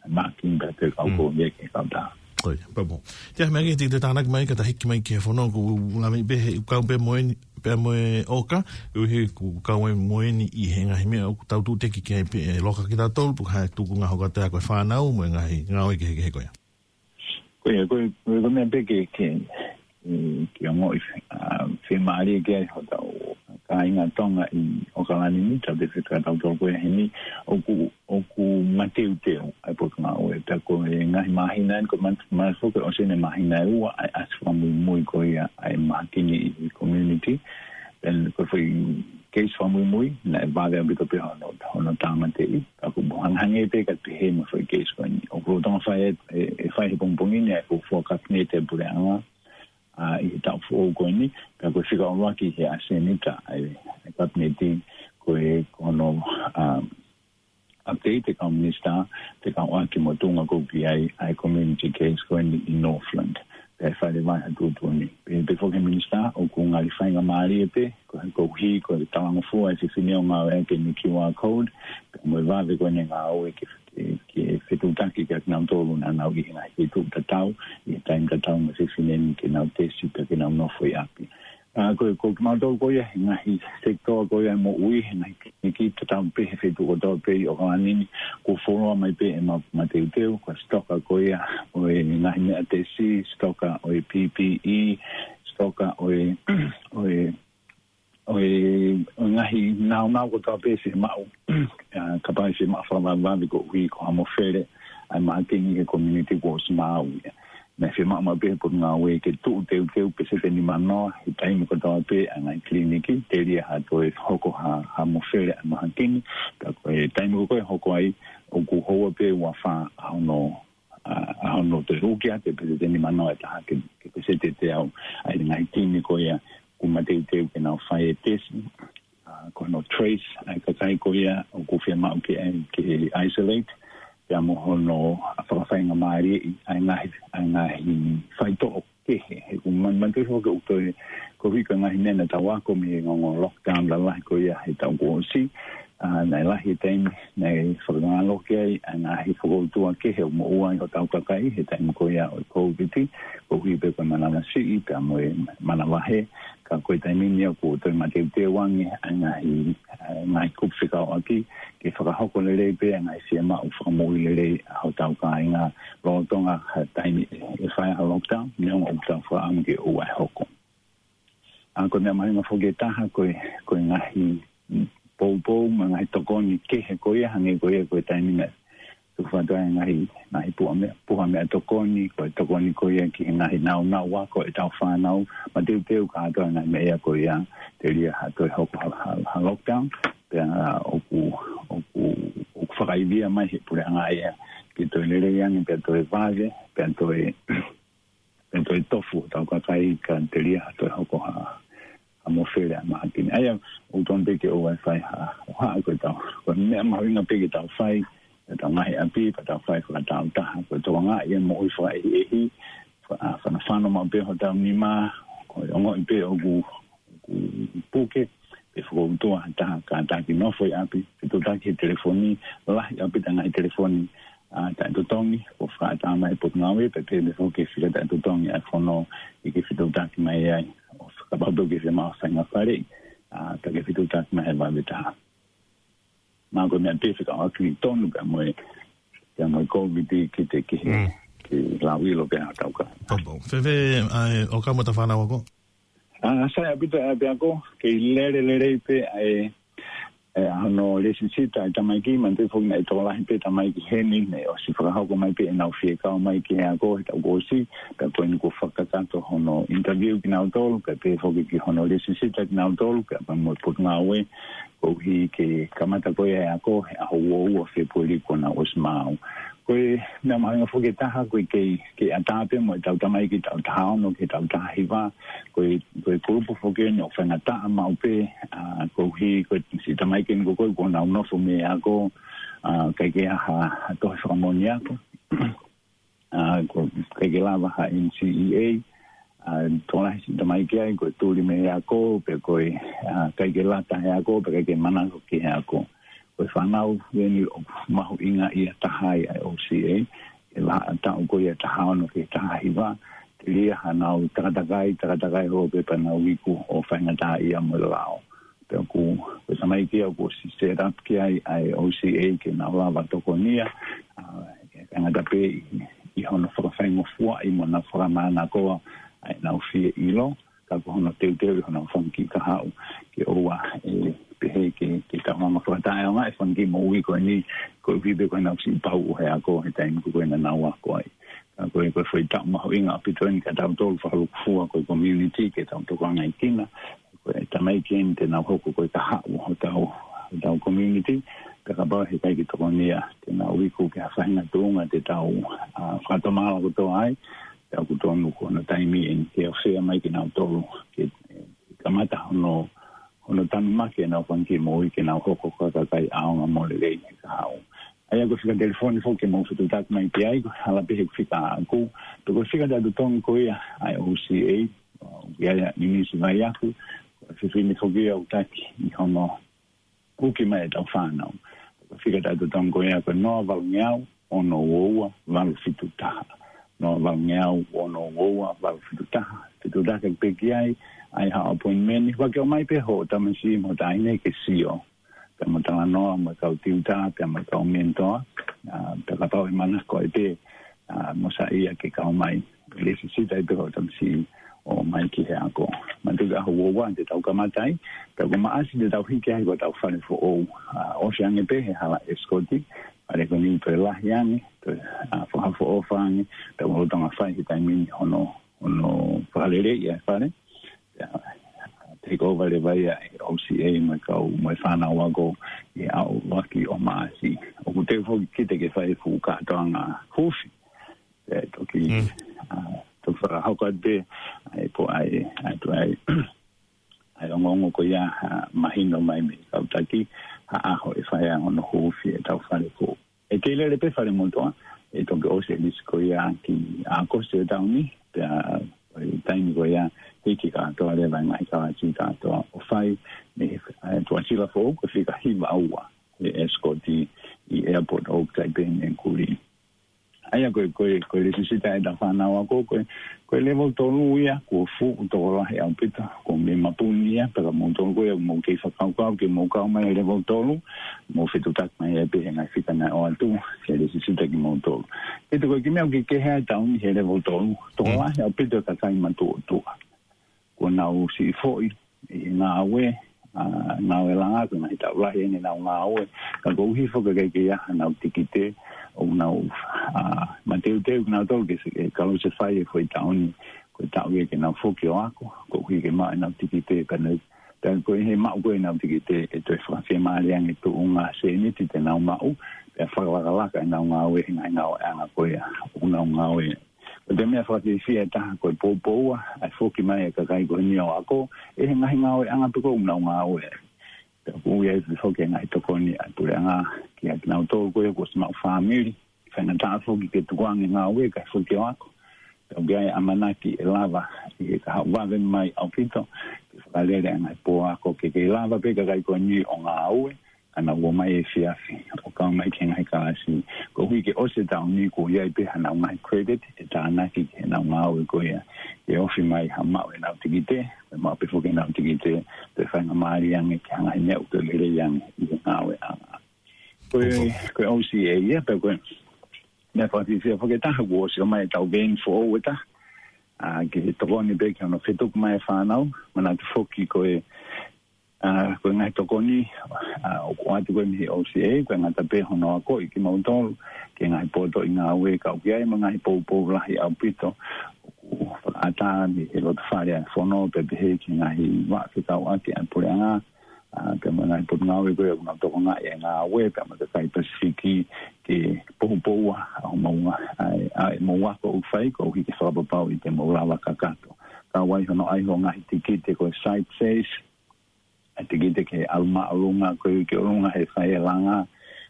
Mākini pē te kau ko ia ke kautaha. Ko ia, pea mo. Te aha meʻa ke te, te tānaki mai ka ta hiki mai ki he fono, ʻoku lave pē he, ʻoku kau pē mo eni, pea mo e ʻoka, ʻuhi ʻoku kau ai mo eni ʻi he ngaahi meʻa ʻoku tau tūteki ki ai pē ʻe loka kitautolu, pe ko e hā e tuʻunga hoko atu ia ko e fānau, mo e ngaahi ngāue kehekehe ko ia. Ko ia, ko e, ko e, ko e meʻa pē ke, ke, ē, ke ongoʻi, ā, fiemālie ki ai hotau kāinga Tonga ʻi ʻOkalani ni, tau te fika tautolu ko ia heni, ʻoku, ʻoku mateuteu ʻa e potungāue. Pea ko e ngaahi māhina eni, ko ma-, ma-, foki ʻosi eni e māhina ʻe ua ʻa e ʻasi fakamuimui ko ia ʻa e mahakini ʻi he community. Pea ko e foʻi keisi fakamuimui, naʻe vave ʻaupito pē hono, hono tāmateʻi. Ka ʻoku hangehangē pē ka pehē mo e foʻi keisi ko eni. ʻOku lolotonga fai e, e, e fai he pongipongi ni ʻa e fuofua kapineti ʻa e puleʻanga, ā, ʻi he taʻu foʻou ko eni, pea ko e fika ʻuluaki he ʻasenita ʻa e, ʻa e kapineti ko e, ko hono, ā, update e kau minisitā, fekauʻaki mo e tuʻunga ko ē ʻoku ʻi ai ʻa e community case ko eni ʻi Northland. Pea ʻe fai leva ha tuʻutuʻuni. Pea, pea foki he minisitā, ʻoku ngali faingamālie pē, ko e, koeʻuhi ko e talangofua e fefine ʻo ngāueʻaki eni e Q R code, pea mo e vave ko eni e ngāue ke, ke, ke fetuʻutaki kia kinautolu naʻa nau ʻi he ngaahi feituʻu tatau, ʻi he taimi tatau mo e fefine ni ke nau tesi pea ke nau nofo ʻi ʻapi. Ā, ko, ko kimautolu ko ia, he ngaahi sekitoa ko ia e moʻui, he ngaahi kiʻi tatau pē he feituʻu kotoa pē ʻi ʻOkalani ni, kuo fuoloa mai pē ʻemau mateuteu, ko e sitoka ko ia ʻo e ngaahi meʻa tesi, sitoka ʻo e P P E, sitoka ʻo e, ʻo e, ʻo e, ʻo e ngaahi naunau kotoa pē fiemaʻu, ā, kapau ʻe fiemaʻu fakavavevave koeʻuhi ko ha mofele ʻa e mahakini he community kuo ʻosi maau ia. Naʻe fiemaʻu maʻu pē he potungāue ke tuʻu teuteu peseti ʻe nimanoa he taimi kotoa pē ʻa e ngaahi kiliniki, telia ha toe hoko ha, ha mofele ʻa e mahakini, ka ko e taimi ko ē ʻe hoko ai, ʻoku houa pē ua fā ʻa hono, ā, ʻa hono toe uki atu e peseti ʻe nimanoa ʻe taha ki he, ki he peseti ʻe teau ʻa e ngaahi timi ko ia ʻoku mateuteu ke nau fai e tesi. Ā, ko hono trace ʻa e kakai ko ia ʻoku fiemaʻu ke, ke isolate, pea mo hono fakafaingamālieʻi ʻa e ngaahi, ʻa e ngaahi faitoʻo kehe. He ʻoku ma-, manatuʻi foki ʻoku toe, koeʻuhi ko e ngaahi meʻa naʻa tau ako mei he ongoongo lockdown lalahi ko ia he taʻu kuo ʻosi, ʻA, naʻe lahi e taimi naʻe fakamālohi ai ʻa e ngaahi fokoutua kehe ʻoku moʻua ai hotau kakai he taimi ko ia ʻo e Kōviti, koeʻuhi pē ko e manavasiʻi pea mo e manavahē. Ka ko e taimi ni ʻoku toe mateuteu ange ʻa e ngaahi, ʻa e ngaahi kupu fekauʻaki ke fakahoko lelei pē ʻa e ngaahi fiemaʻu fakamoʻui lelei ʻa hotau kāinga lolotonga ha taimi ʻe fai ai ha lockdown, neongo ʻoku tau fakaʻamu ke ʻoua ʻe hoko. ʻA, ko e meʻa mahuʻinga foki ʻe taha ko e, ko e ngaahi, mm, poupou mo e ngaahi tokoni kehe ko ia, hangē ko ia ko e taimi naʻe tuku atu ai e ngaahi, ngaahi puha meʻa, puha meʻatokoni, ko e tokoni ko ia ki he ngaahi nāunau ako ʻetau fānau, mateuteu kātoa e ngaahi meʻa ia ko ia telia ha toe hoko ha, ha, ha lockdown, pea ʻoku, ʻoku, ʻoku fakaivia mai he puleʻanga ia ke toe lelei ange, pea toe vave, pea toe pea toe tofu hotau kakai ka telia ha toe hoko ha, ha mofele ʻa e mahaki ni. ʻA ia, ʻoku tonu pē ke ʻoua ʻe fai ha, ʻo haʻa ko e tau, ko e meʻa mahuʻinga pē ke tau fai, ke tau ngaahi ʻapi, pea tau fai fakataautaha, ko e tokangaʻi e moʻui fakaʻehiʻehi, fa-, ʻa, fanofano maʻu pē hotau nima, ko e ongoʻi pē ʻoku ʻoku puke, pe fokoutua ha taha kātaki nofo ʻi ʻapi, fetuʻutaki he telefoni, lahi ʻaupito e ngaahi telefoni, ʻa, taʻetotongi, ʻoku fakaʻatā mai he potungāue, pea pehē foki ki he fika taʻetotongi ʻa e fono ʻi he fetuʻutaki mai ai, ʻo kapau pē ʻoku ke fiemaʻu ha faʻahinga faleʻi, ʻa, pea ke fetuʻutaki mai he vave taha. Mahalo ko e meʻa pē fekauʻaki tonu pea mo e, pea mo e Kōviti ki he, ki he, Mm. ki he lauʻilo pē ʻa hotau kāinga. Poupou. Fēfē, ʻa e, ʻo ka mo ta fānau ako? ʻA, sai ʻaupito ʻa e ʻapiako, kei lele lelei pē ʻa e, ʻa e hono lēsisita ʻa e tamaiki, manatuʻi foki naʻe tokolahi pē tamaiki heni, naʻe ʻosi fakahoko mai pē ʻenau fie kau mai ki he ako, he taʻu kuo ʻosi, pea ko eni kuo fakakakato hono interview kinautolu, pea pehē foki ki hono lēsisita kinautolu, pea pea mo e potungāue, koeʻuhi ke kamata ko ia e ako, he ʻaho ua ua Fēpueli kuo nau ʻosi maau. Ko e meʻa mahuʻinga foki ʻe taha, ko e kei, kei ʻatā pē mo ʻetau tamaiki taʻu taha ono ki he taʻu taha hiva, ko e, ko e kulupu foki eni ʻoku faingataʻa maʻu pē, ʻa, koeʻuhi, ko e siʻi tamaiki eni ko ē kuo nau nofo mei he ako, ʻa, ʻikai ke ʻi ai ha, ha tohi fakamoʻoni ako. ʻA, ko e ʻikai ke lava ha N C E A, ʻa, tokolahi siʻi tamaiki ai, ko e tuli mei he ako, pe ko e, ʻa, ʻikai ke lata he ako, pe ʻikai ke manako ki he ako. Ko e fānau eni ʻoku mahuʻinga ia taha ai ʻa e O C A, he vahaʻa taʻu ko ia taha ono ki he taha hiva, telia hanau takatakai, takatakai holo pē pea nau iku ʻo faingataʻaʻia mo e lao. Pea ʻoku, ko e tamaiki ia ʻoku ʻosi set up ki ai ʻa e O C A ke nau lava tokonia, ʻa, ʻikai ngata pē ʻi, ʻi hono fakafaingofuaʻi mo nau fakamānakoa ʻa ʻenau fie ʻilo, ka ko hono teuteu ʻi honau fanga kiʻi kahaʻu ke ʻoua ʻe pehē ke, ke tau hanga fakataʻeʻaongaʻi e fanga kiʻi moʻui ko eni, koeʻuhi pē ko ʻenau siʻi pauʻu he ako he taimi ko ē naʻa nau ako ai. Ka ko e, ko e foʻi taʻu mahuʻinga ʻaupito eni kia tautolu fakalūkufua ko e community ke tau tokangaʻi kina. Ko e tamaiki eni te nau hoko ko e kahaʻu hotau, hotau community. Pea kapau he ʻikai ke tokonia, te nau iku ki ha faʻahinga tuʻunga te tau, ʻa, fakatomala kotoa ai. Pea ʻoku tonu ko hono taimi eni ke ʻofeina mai kinautolu ke, ʻe, kamata hono, hono tanumaki ʻenau fanga kiʻi moʻui ke nau hoko ko ha kakai ʻaonga mo lelei he kahaʻu. ʻA ia ko e fika telefoni foki ke mou fetuʻutaki mai ki ai, ko e hala pē he fika ʻaʻaku, pe ko e fika taʻetotongi ko ia ʻa e O C A, ʻoku ʻi ai ʻa Ninisi Vaiaku, ko e fefine foki ia ʻoku taki ʻi hono uki mai ʻetau fānau. Ko e fika taʻetotongi ko ia ko e noa valungeau, ono ua ua, valu fitu taha. Noa valungeau, ono ua ua, valu fitu taha. Fetuʻutaki pē ki ai, ʻai haʻo appointment, ʻoua ke ʻomai pē hoʻo tamasiʻi mo e taʻahine ke sio. Pea mo talanoa mo e kau tiuta, pea mo e kau mentor, ʻa, pea kapau ʻe manako ai pē, ʻa, mo saiʻia ke kau mai. Lēsisita ai pē hoʻo tamasiʻi ʻo ʻomai ki he ako. Manatuʻi ʻaho ua ua te tau kamata ai, pea ko Maʻasi te tau hiki ai ko ʻetau fale foʻou. ʻA, ʻosi ange pē he hala Escort, fale ko eni toe lahi ange, toe, ʻa, fakaʻofoʻofa ange, pea ʻoku lolotonga fai he taimi ni hono, hono fakaleleiʻi ʻa e fale. Pea, take over leva ia ʻe he O C A mo e kau, mo e fānau ako ʻi he ʻaho ʻuluaki ʻo Maʻasi. ʻOku teu foki kita ke fai e fuʻu kātoanga huufi. Pea toki, Mm. ʻa, toki fakahoko atu pē, ʻa e po ʻa e, ʻa e, ʻa e, ʻa e ongoongo ko ia, ʻa, mahino mai mei he kau taki, ha ʻaho ʻe fai ai hono huufi ʻetau fale foʻou. ʻE kei lele pē fale motuʻa, ʻe toki ʻosi e lisi ko ia ki ʻAokosi ʻo e taʻu ni, pea Ko e taimi ko ia, hiki kātoa leva e ngaahi kalasi kātoa ʻo fai, mei he, ʻa e Tuʻasila Foʻou, ko e fika hiva ua, ʻe escort ʻi, ʻi airport ʻo Taipei mei Kuli. ʻA ia ko e, ko e, ko e lēsisita ʻetau fānau ako, ko e, ko e level tolu ia, kuo fuʻu tokolahi ʻaupito, ko e mei Mapuni ia, pea ka moutolu ko ia, mou kei fakakaukau, ke mou kau mai level tolu, mou fetuʻutaki mai ai pē he ngaahi fika naʻe ʻoatu, ke lēsisita kimoutolu. Pea ko e kiʻi meʻa ʻoku kehe ai e taʻu ni he level tolu, tokolahi ʻaupito e kakai matuʻotuʻa. Kuo nau siʻi foʻi, ʻi he ngāue, ʻa, ngāue langa, ko e ngaahi taʻu lahi eni ʻenau ngāue. Ka koeʻuhi foki ʻoku ʻikai ke ʻi ai haʻanau tikite, ʻoku nau, ʻa, mateuteu kinautolu ke, ke kalo se fai e foʻi taʻu ni, ko e taʻu ia ke nau foki ʻo ako, koeʻuhi ke maʻu ʻenau tikite, ka ne, ka ko e he maʻu ko ē ʻenau tikite, ʻe toe fakafiemālie ange e tuʻunga sēniti te nau maʻu, pea fakalakalaka ʻenau ngāue, he ngaahi ngāueʻanga ko ia, ʻoku nau ngāue. Ko e meʻa fakafiefia ʻe taha ko e poupou ʻa e foki mai e kakai ko eni ʻo ako, ʻi he ngaahi ngāueʻanga pē ko ē ʻoku nau ngāue. Pea ʻoku ui ai foki e ngaahi tokoni ʻa e puleʻanga, kiate kinautolu ko ia kuo ʻosi maʻu fāmili, faingataʻa foki ke tukuange ngāue kae foki ʻo ako. Pea ʻoku ʻi ai e ʻamanaki ʻe lava, ʻi he kahaʻu vave mai ʻaupito, ke fakalele ʻa e ngaahi pō ako ke kei lava pē kakai ko eni ʻo ngāue, ka nau ō mai efiafi, ʻo kau mai ki he ngaahi kalasi. Koeʻuhi ke ʻosi e taʻu ni kuo ʻi ai pē haʻanau ngaahi credit, ʻe tānaki ki heʻenau ngāue ko ia. Ke ofi mai ha maʻu ʻenau tikite, ʻe maʻu pē foki ʻenau tikite, pea faingamālie ange ki ha ngaahi meʻa ʻoku toe lelei ange ʻi he ngāueʻanga. Ko e, ko e O C A ia, pea ko e, meʻa fakafiefia foki ʻe taha kuo ʻosi ō mai e tau vein foʻou ʻe taha. ʻA, ke tokoni pē ki hono fetuku mai e fānau, manatu foki ko e, ʻa, ko e ngaahi tokoni, ʻa, ʻoku ʻoatu ko ē mei he O C A, ko e ngata pē hono akoʻi kimoutolu, ki he ngaahi potoʻi ngāue ka ʻoku ʻi ai mo e ngaahi poupou lahi ʻaupito, ʻoku fakaʻatā mei he loto fale ʻa e fono, pea pehē ki he ngaahi vaʻa fekauʻaki ʻa e puleʻanga, ʻa, pea mo e ngaahi potungāue ko ē ʻoku nau tokangaʻi e ngāue, pea mo e kakai Pasifiki, ke poupou ʻa, ʻa homou ngā-, ʻa, ʻa, ʻa e mou ako ʻoku fai, koeʻuhi ke fakapapauʻi te mou lava kakato. Kau ai hono ʻai hoʻo ngaahi tikite ko e site safe, ʻa e tikite ke ʻalu māʻolunga, ko e ki ʻolunga he fai e langa,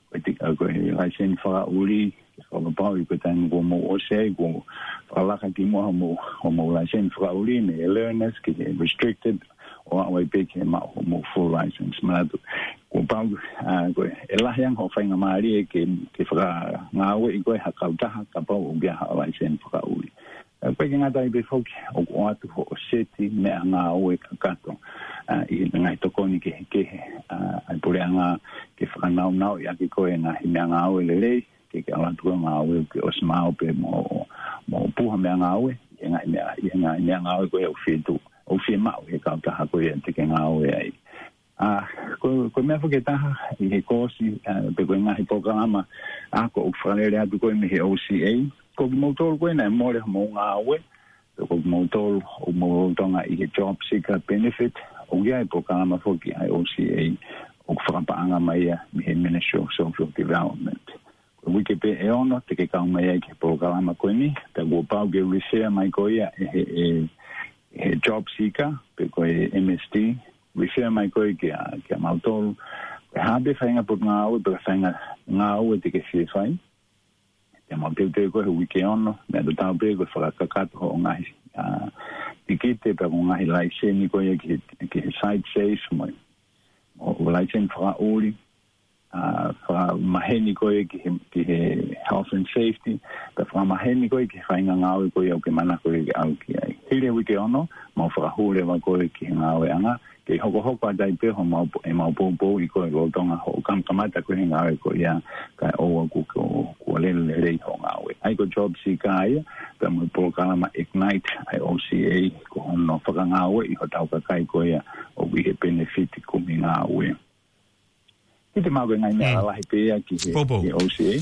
ko e ti-, ʻa, ko e laiseni fakaʻuli, ke fakapapauʻi ko e taimi kuo mou ʻosi ai, kuo fakalaka kimuʻa homou, homou laiseni fakaʻuli, mei he learners ki he restricted, ʻo aʻu ai pē ki he maʻu homou full license. Manatu, kuo pau, ʻa, ko e, ʻe lahi ange hoʻo faingamālie ke, ke fakangāueʻi koe ha kautaha, kapau ʻoku ʻi ai haʻo laiseni fakaʻuli. ʻE, pea ʻikai ke ngata ai pē foki, ʻoku ʻoatu hoʻo seti meʻangāue kakato, ʻa, ʻi he ngaahi tokoni kehekehe, ʻa, ʻa e puleʻanga ke fakanaunauʻi ʻaki koe e ngaahi meʻangāue lelei, ke, ke ʻalu atu ko e ngāue ke ʻosi maʻu pē mo, mo puha meʻangāue, ʻi he ngaahi meʻa, ʻi he ngaahi meʻangāue ko ē ʻoku fie tuʻu, ʻoku fiemaʻu he kautaha ko ia te ke ngāue ai. ʻA, ko, ko e meʻa foki ʻe taha ʻi he koosi, ʻa, pe ko e ngaahi polokalama, ʻa, ko ʻoku fakalele atu ko ē mei he O C A, ko kimoutolu ko ē naʻe mole homou ngāue, pe ko kimoutolu ʻoku mou lolotonga ʻi he job seeker benefit, ʻoku ʻi ai e polokalama foki ʻa e O C A, ʻoku fakapaʻanga mai ia mei he Ministry of Social Development. Ko e uike pē ʻe ono, te ke kau mai ai ki he polokalama ko eni, pea kuo pau ke refer mai koe ia ʻe he, ʻe, ʻe he job seeker, pe ko e M S D, refer mai koe kia, kia mautolu. Ko e hā pē faʻahinga potungāue, pe faʻahinga ngāue te ke fie fai. Te mau teuteu koe he uike ono, meʻa tatau pē ko e fakakakato hoʻo ngaahi, ʻa, tikite, pe ko e ngaahi laiseni ko ia ki he, ki he site safe mo e, mo e laiseni fakaʻuli, ʻa, fakamaheni koe ki he, ki he health and safety, pea fakamaheni koe ki he faʻahinga ngāue ko ia ʻoku ke manako ke ʻalu ki ai. Hili e uike ono, mau fakahū leva koe ki he ngāueʻanga, ke hokohoko atu ai pē homau, ʻemau poupouʻi koe lolotonga hoʻo kam-, kamata ko ē he ngāue ko ia, kae ʻoua kuo, kuo, kuo lele lelei hoʻo ngāue. ʻA ia ko e job seeker ia, pea mo e polokalama Ignite ʻa e O C A, ko hono fakangāueʻi hotau kakai ko ia ʻoku ʻi he penefiti kumi ngāue. Kiate au ko e ngaahi meʻa lalahi pē ia ki he, ki he O C A.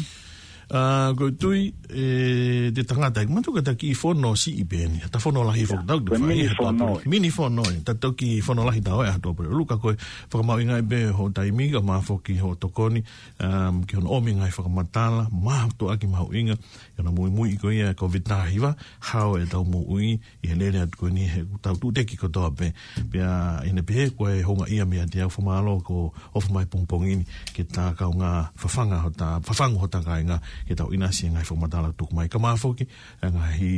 ʻA, ko e tui, ʻe, te tangata, ʻi matu ka taki fono siʻi pē eni, ta fono lahi foki, tau ko e mini fono. Mini fono, ʻe, ta toki fono lahi tau ʻe ʻa Tuʻapulelulu ka ko e fakamahuʻingaʻi pē hoʻo taimi ka mo e foki hoʻo tokoni, um, ki hono ʻomi ngaahi fakamatala, mātuʻaki mahuʻinga, ʻi hono muimui ko ia e Kōviti taha hiva, hao ʻetau moʻui, ʻi he lele atu ko eni he tau tuʻuteki kotoa pē. Pea ʻi heʻene pehē ko e houngaʻia meiate au fakamālō ko e ʻofa mai pongipongi ni ke ta kaungā fafanga hota, fafangu hota kāinga ke tau ʻinasi e ngaahi fakamatala tuku mai. Kae ʻumaʻā foki e ngaahi,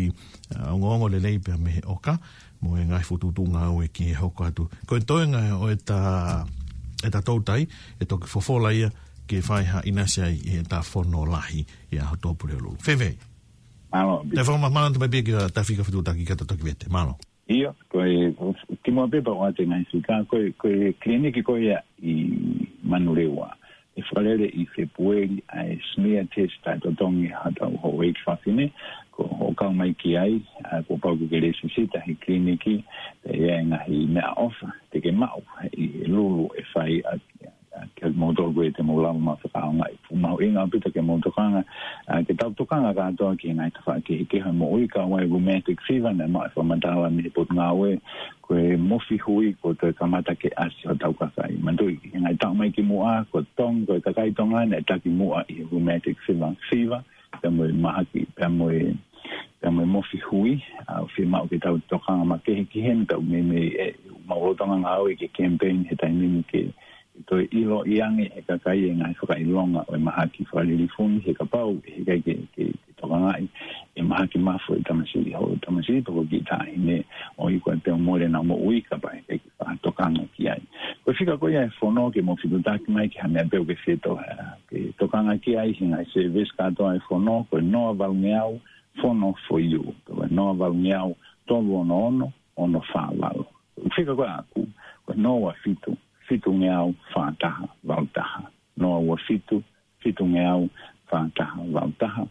ā, ongoongo lelei pea mei he ʻoka, mo e ngaahi fokotuʻutuʻu ngāue ke hoko atu. Ko e toenga ʻo ʻeta, ʻeta toutai, ʻe toki fofola ia ke fai ha ʻinasi ai ʻi heʻeta fono lahi ʻi he ʻaho Tuʻapulelulu. Fēfē? Mālō, Pita. Te fakamālō atu mai pē kia Tafika Fetuʻutaki kae toki vete. Mālō. ʻIo, ko e, kimuʻa pē pea u ʻoatu e ngaahi fika, ko e, ko e kiliniki ko ia ʻi Manurewa. ʻE fakalele ʻi Fēpueli ʻa e smear test ʻa e totongi ʻa hotau houʻeiki fafine, ko hoʻo kau mai ki ai, ā, kuo pau ke ke lēsisita he kiliniki, pea ʻi ai e ngaahi meʻaʻofa te ke maʻu ʻi he lulu ʻe fai ʻaki, ʻaki kimoutolu ko ia te mou lava ʻo fakaʻaongaʻi. Fuʻu mahuʻinga ʻaupito ke mou tokanga, ā, ke tau tokanga kātoa ki he ngaahi tafaʻaki kehekehe ʻo e moʻui, kau ai e rheumatic fever, naʻe maʻu e fakamatala mei he Potungāue, ko e mofi hui kuo toe kamata ke ʻasi hotau kakai. Manatuʻi, he ngaahi taʻu mai kimuʻa, ko Tong-, ko e kakai Tonga naʻe taki muʻa ʻi he rheumatic fever, fever, pea mo e mahaki, pea mo e, pea mo e mofi hui, ā, fiemaʻu ke tau tokanga makehe ki heni, tau meimei, ē, maʻu lolotonga ngāue ki he campaign he taimi ni ke, ke toe ʻiloʻi ange ʻe he kakai e ngaahi fakaʻilonga ʻo e mahaki fakalilifu ni, he kapau ʻe ʻikai ke, ke, ke tokangaʻi e mahaki mafu ʻa e tamasiʻi, ho tamasiʻi pe ko e kiʻi taʻahine ʻo e ʻikai ke toe mole ʻena moʻui kapau ʻe ʻikai ke fakatokanga ki ai. Ko e fika ko ia ʻa e fono ke mou fetuʻutaki mai ki ha meʻa pē ʻoku ke fie to-, ā, ke tokanga ki ai he ngaahi service kātoa ʻa e fono, ko e noa valungeau, fono for you. Ko e noa valungeau, tolu ono ono, ono fā valu. Ko e fika ko ia ʻaʻaku, ko e noa ua fitu, fitungeau, fā taha, valu taha. Noa ua fitu, fitungeau, fā taha, valu taha.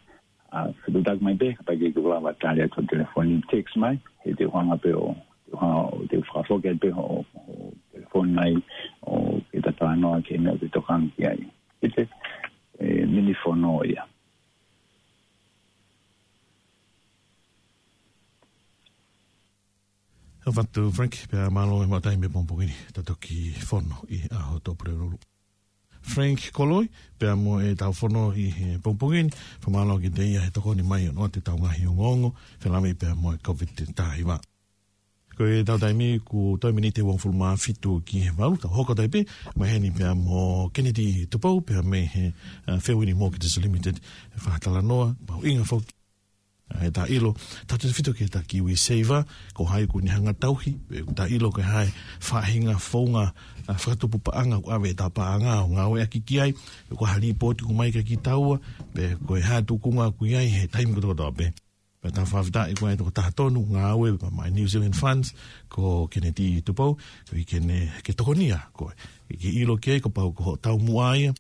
Ā, fetuʻutaki mai pē, kapau ʻe ʻikai ke u lava tali atu he telefoni, text mai, he te u hanga pē ʻo, te u hanga ʻo, te u fakafoki atu pē hoʻo, hoʻo telefoni mai, ʻo ke ta talanoa ki he meʻa ʻoku ke tokanga ki ai. Pita, ē, mini fono ia. ʻOfa atu Frank, pea mālō e maʻu taimi he pongipongi ni, ta toki fono ʻi he ʻaho Tuʻapulelulu. Frank Koloi, pea mo ʻetau fono ʻi he pongipongi ni, fakamālō kiate ia he tokoni mai ʻo ʻoatu ʻetau ngaahi ongoongo, felāveʻi pea mo e COVID taha hiva. Ko ʻetau taimi kuo toe miniti ʻe uofulu mā fitu ki he valu, tau hoko atu ai pē, mai heni pea mo Kennedy Tupou, pea mei he, ā, Fairwind Mortgages Limited, e fakatalanoa, mahuʻinga foki ʻa ʻeta ʻilo, tautefito ki heʻeta KiwiSaver, ko hai ʻoku ne hanga ʻo tauhi, pe ʻoku ta ʻilo ko e hā e faʻahinga founga, ā, fakatupu paʻanga ʻoku ʻave ʻeta paʻanga ʻo ngāueʻaki ki ai, pe ko ha līpooti ʻoku ʻomai kia kitaua, pe ko e hā e tūkunga ʻoku ʻi ai he taimi kotokotoa pē. Pea tau fakafetaʻi ko e tokotaha tonu ngāue pea maʻa e New Zealand Funds, ko Kennedy Tupou, koeʻuhi ke ne, ke tokonia koe, ke ʻilo ki ai kapau ko hoʻo taumuʻa ia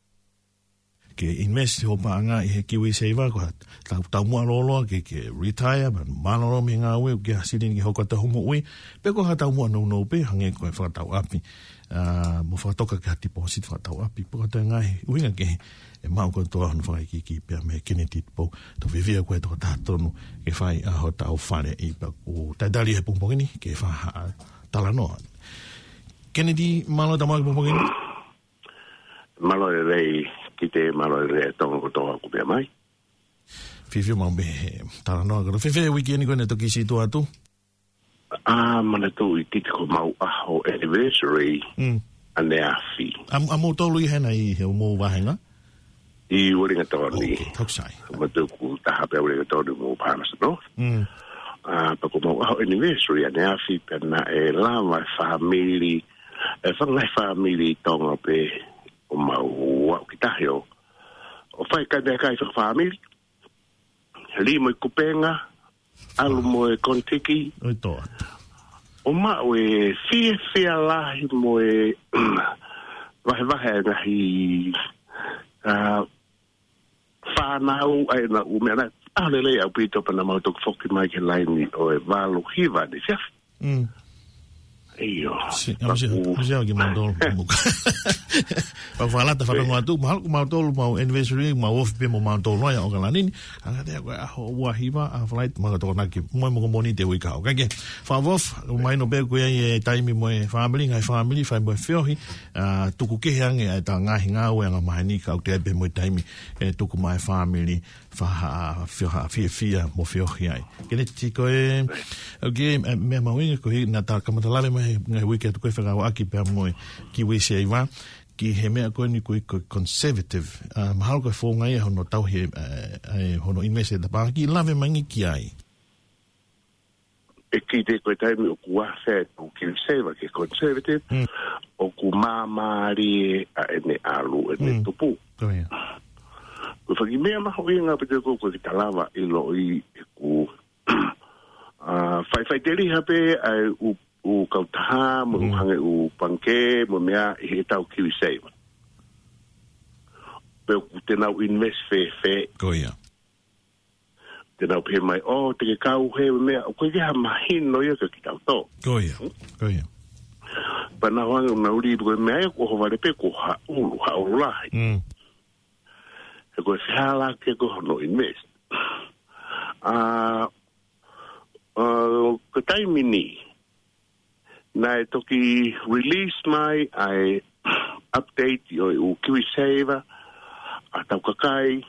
ke invest hoʻo paʻanga ʻi he KiwiSaver, ko ha tau, taumuʻa lōloa ke, ke retire, pea mālōlō mei he ngāue, ʻoku ʻi ai ha silini ke hoko atu hoʻo moʻui, pe ko ha taumuʻa nounou pē, hangē ko e fakatau ʻapi, ā, mo fakatoka ki ha deposit fakatau ʻapi, pe ko ha toe ngaahi ʻuhinga kehe, ʻe maʻu kotoa hono fakaikiiki pea mei Kennedy Tupou, tau fiefia ko e tokotaha tonu ke fai ʻa hotau faleʻi, pea ʻoku talitali he pongipongi ni ke fai ha talanoa. Kennedy, mālō e tau maʻu ki he pongipongi ni. Mālō e lelei Kite, mālō e lelei Tonga kotoa ʻoku meʻa mai. Fiefia maʻu pē he talanoa. Ko e fēfē e uike ni ko eni ʻe toki sio atu? Ā, manatuʻi Kite ko homau ʻaho anniversary Mm. ʻaneafi. ʻA, ʻa moutolu ia hena ʻi he mou vāhenga? ʻI Uelingatoni. Ok, tau sai. Manatuʻi ʻoku taha pē Uelingatoni mo Palmerston North. Mm. Ā, pea ko homau ʻaho anniversary ʻaneafi pea naʻe lava e fāmili, e fanga fāmili Tonga pē ʻo mau aʻu ki tahi ʻo, ʻo fai e kai meʻakai fakafāmili. Lī mo e kupenga, ʻalu mo e konitiki. ʻOi toa. ʻO maʻu e fiefia lahi mo e vahevahe ʻa e ngaahi, ā, fānau ʻa ʻenau meʻa na. ʻAho lelei ʻaupito pea naʻa mau toki foki mai ki he laini ʻo e valu hiva ni siafu. Mm. ʻIo. Si, ʻamusia, ʻamusia ki mautolu, muka. Pea u fakalata fatongia atu, mahalo ko mautolu, mau anniversary, mau ofi pē mo mautolu ai ʻa ʻAokalani ni. Hangē ko e ʻaho ua hiva, ʻaho Falaite, mau tokonaki, mo e mo ko Mōnite uike kahaʻu. Kae kehe, fakaʻofoʻofa, ʻoku mahino pē ʻoku ʻi ai e taimi mo e fāmili, ngaahi fāmili, fai mo e feohi, ā, tuku kehe ange ʻa ʻeta ngaahi ngāue anga maheni ka ʻoku ʻi ai pē mo e taimi ʻe tuku maʻa e fāmili, fai ha, fai ha fiefia mo feohi ai. Kennedy, ko e, ok, e, meʻa mahuʻinga koeʻuhi naʻa ta kamata lave mai he ngaahi uike atu ko e fekauʻaki pea mo e KiwiSaver. ki he meʻa ko eni ko e, ko e conservative, ʻa, mahalo ko e founga ia hono tauhi, ʻa, ʻa, hono invest e tapaki, lave mai ange ki ai. ʻE kite ko e taimi ʻoku ʻasi ai ʻetau KiwiSaver ki he conservative, Mm. ʻoku māmālie ʻa ʻene ʻalu, ʻene Mm. tupu. Ko ia. Ko e fanga meʻa mahuʻinga pē ko ē ʻoku ʻikai ke ta lava ʻiloʻi ʻe kinautolu, ʻa, fai, faʻiteliha pē ʻa e ʻū, ʻū kautaha, mo e ʻū Mm. hangē ʻū pangikē, mo e meʻa ʻi heʻetau KiwiSaver. Pe ʻoku te nau invest fēfē. Ko ia. Te nau pehē mai, ʻō, te ke kau he meʻa, ʻoku ʻikai ke ha mahino ia kia kitautolu. Ko ia, ko ia. Pea nau hanga ʻo nau lī ko e meʻa ia ʻoku ʻohovale pē ko ha ʻulu, ha ʻulu lahi. Mm. He ko e fehālaaki ko hono invest. ʻA, ʻa, ko e taimi ni, naʻe toki release mai ʻa e update ʻo e ʻū KiwiSaver, ʻa, tau kakai,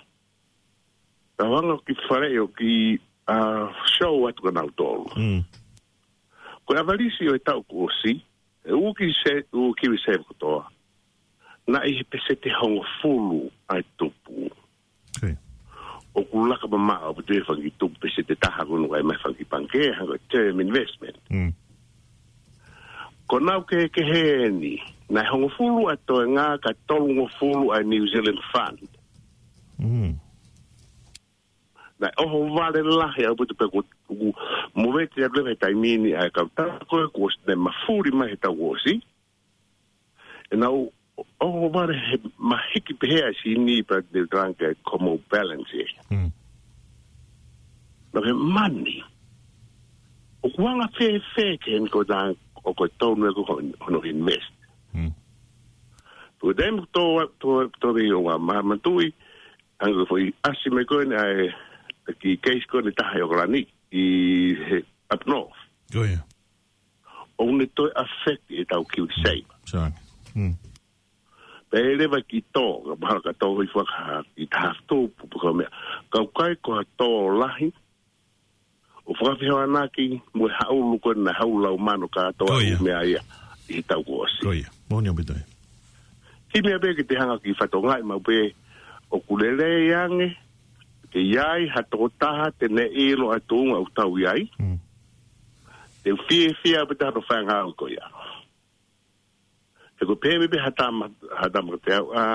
tau hanga ki fale ʻo ki, ʻa, show atu kia nautolu. Mm. Ko e ʻavalisi ʻo e taʻu kuo ʻosi, e ʻū ki se, ʻū KiwiSaver kotoa, naʻe ʻi he peseti hongofulu ʻa e tupu. Okay. ʻOku laka mamaʻo ʻaupito e fanga kiʻi tupu peseti ʻe taha ko ē naʻe ʻomai fanga kiʻi pangikē, hangē ko e term investment. Mm. Ko ʻenau kehekehe eni, naʻe hongofulu ʻa e toenga ka tolungofulu ʻa e New Zealand Fund. Mm. Naʻe ʻohovale lahi ʻaupito pē ko ē, ʻoku movete atu leva he taimi ni ʻa e kautaha ko ē kuo ʻosi ne mafuli mai he taʻu kuo ʻosi. ʻE nau ʻohovale he mahiki pehē ʻa e sini pea te u talanga ki he komo balance ē. Mm. Naʻe he mani. ʻOku anga fēfē ke eni ko e tau, ʻoku tonu ē ko hono invest. Mm. Ko e taimi tō, tō, tō rei o wa ma, matui, hangē ko e foʻi ʻasi mai ko eni ʻa e, ki case ko eni taha ʻi ʻOkalani, ʻi he up north. Ko ia. ʻOku ne toe affect ʻetau KiwiSaver. Sorry. Mm. Pea leva ki tō, ka mahalo ka tō hoi faka ki taha tupu, pe ko e meʻa. Ka ʻoku ʻikai ko ha tō lahi, ʻo fakafehoanaki mo e ha ʻulu ko ē naʻe ha ʻulu lau mano kātoa Ko ia. ʻa e meʻa ia ʻi he taʻu kuo ʻosi. Ko ia. Moʻoni ʻaupito ē. Kiʻi meʻa pē ke te hanga ki fatongia maʻu pē ʻoku lelei ange, ke ʻi ai ha tokotaha te ne ʻilo ʻa e tuʻunga ʻoku tau ʻi ai. Mm. Te u fiefia pē ʻi hono fai e ngāue ko ia. He ko e pehē mai pē ha tama, ha tama kiate au, ʻa,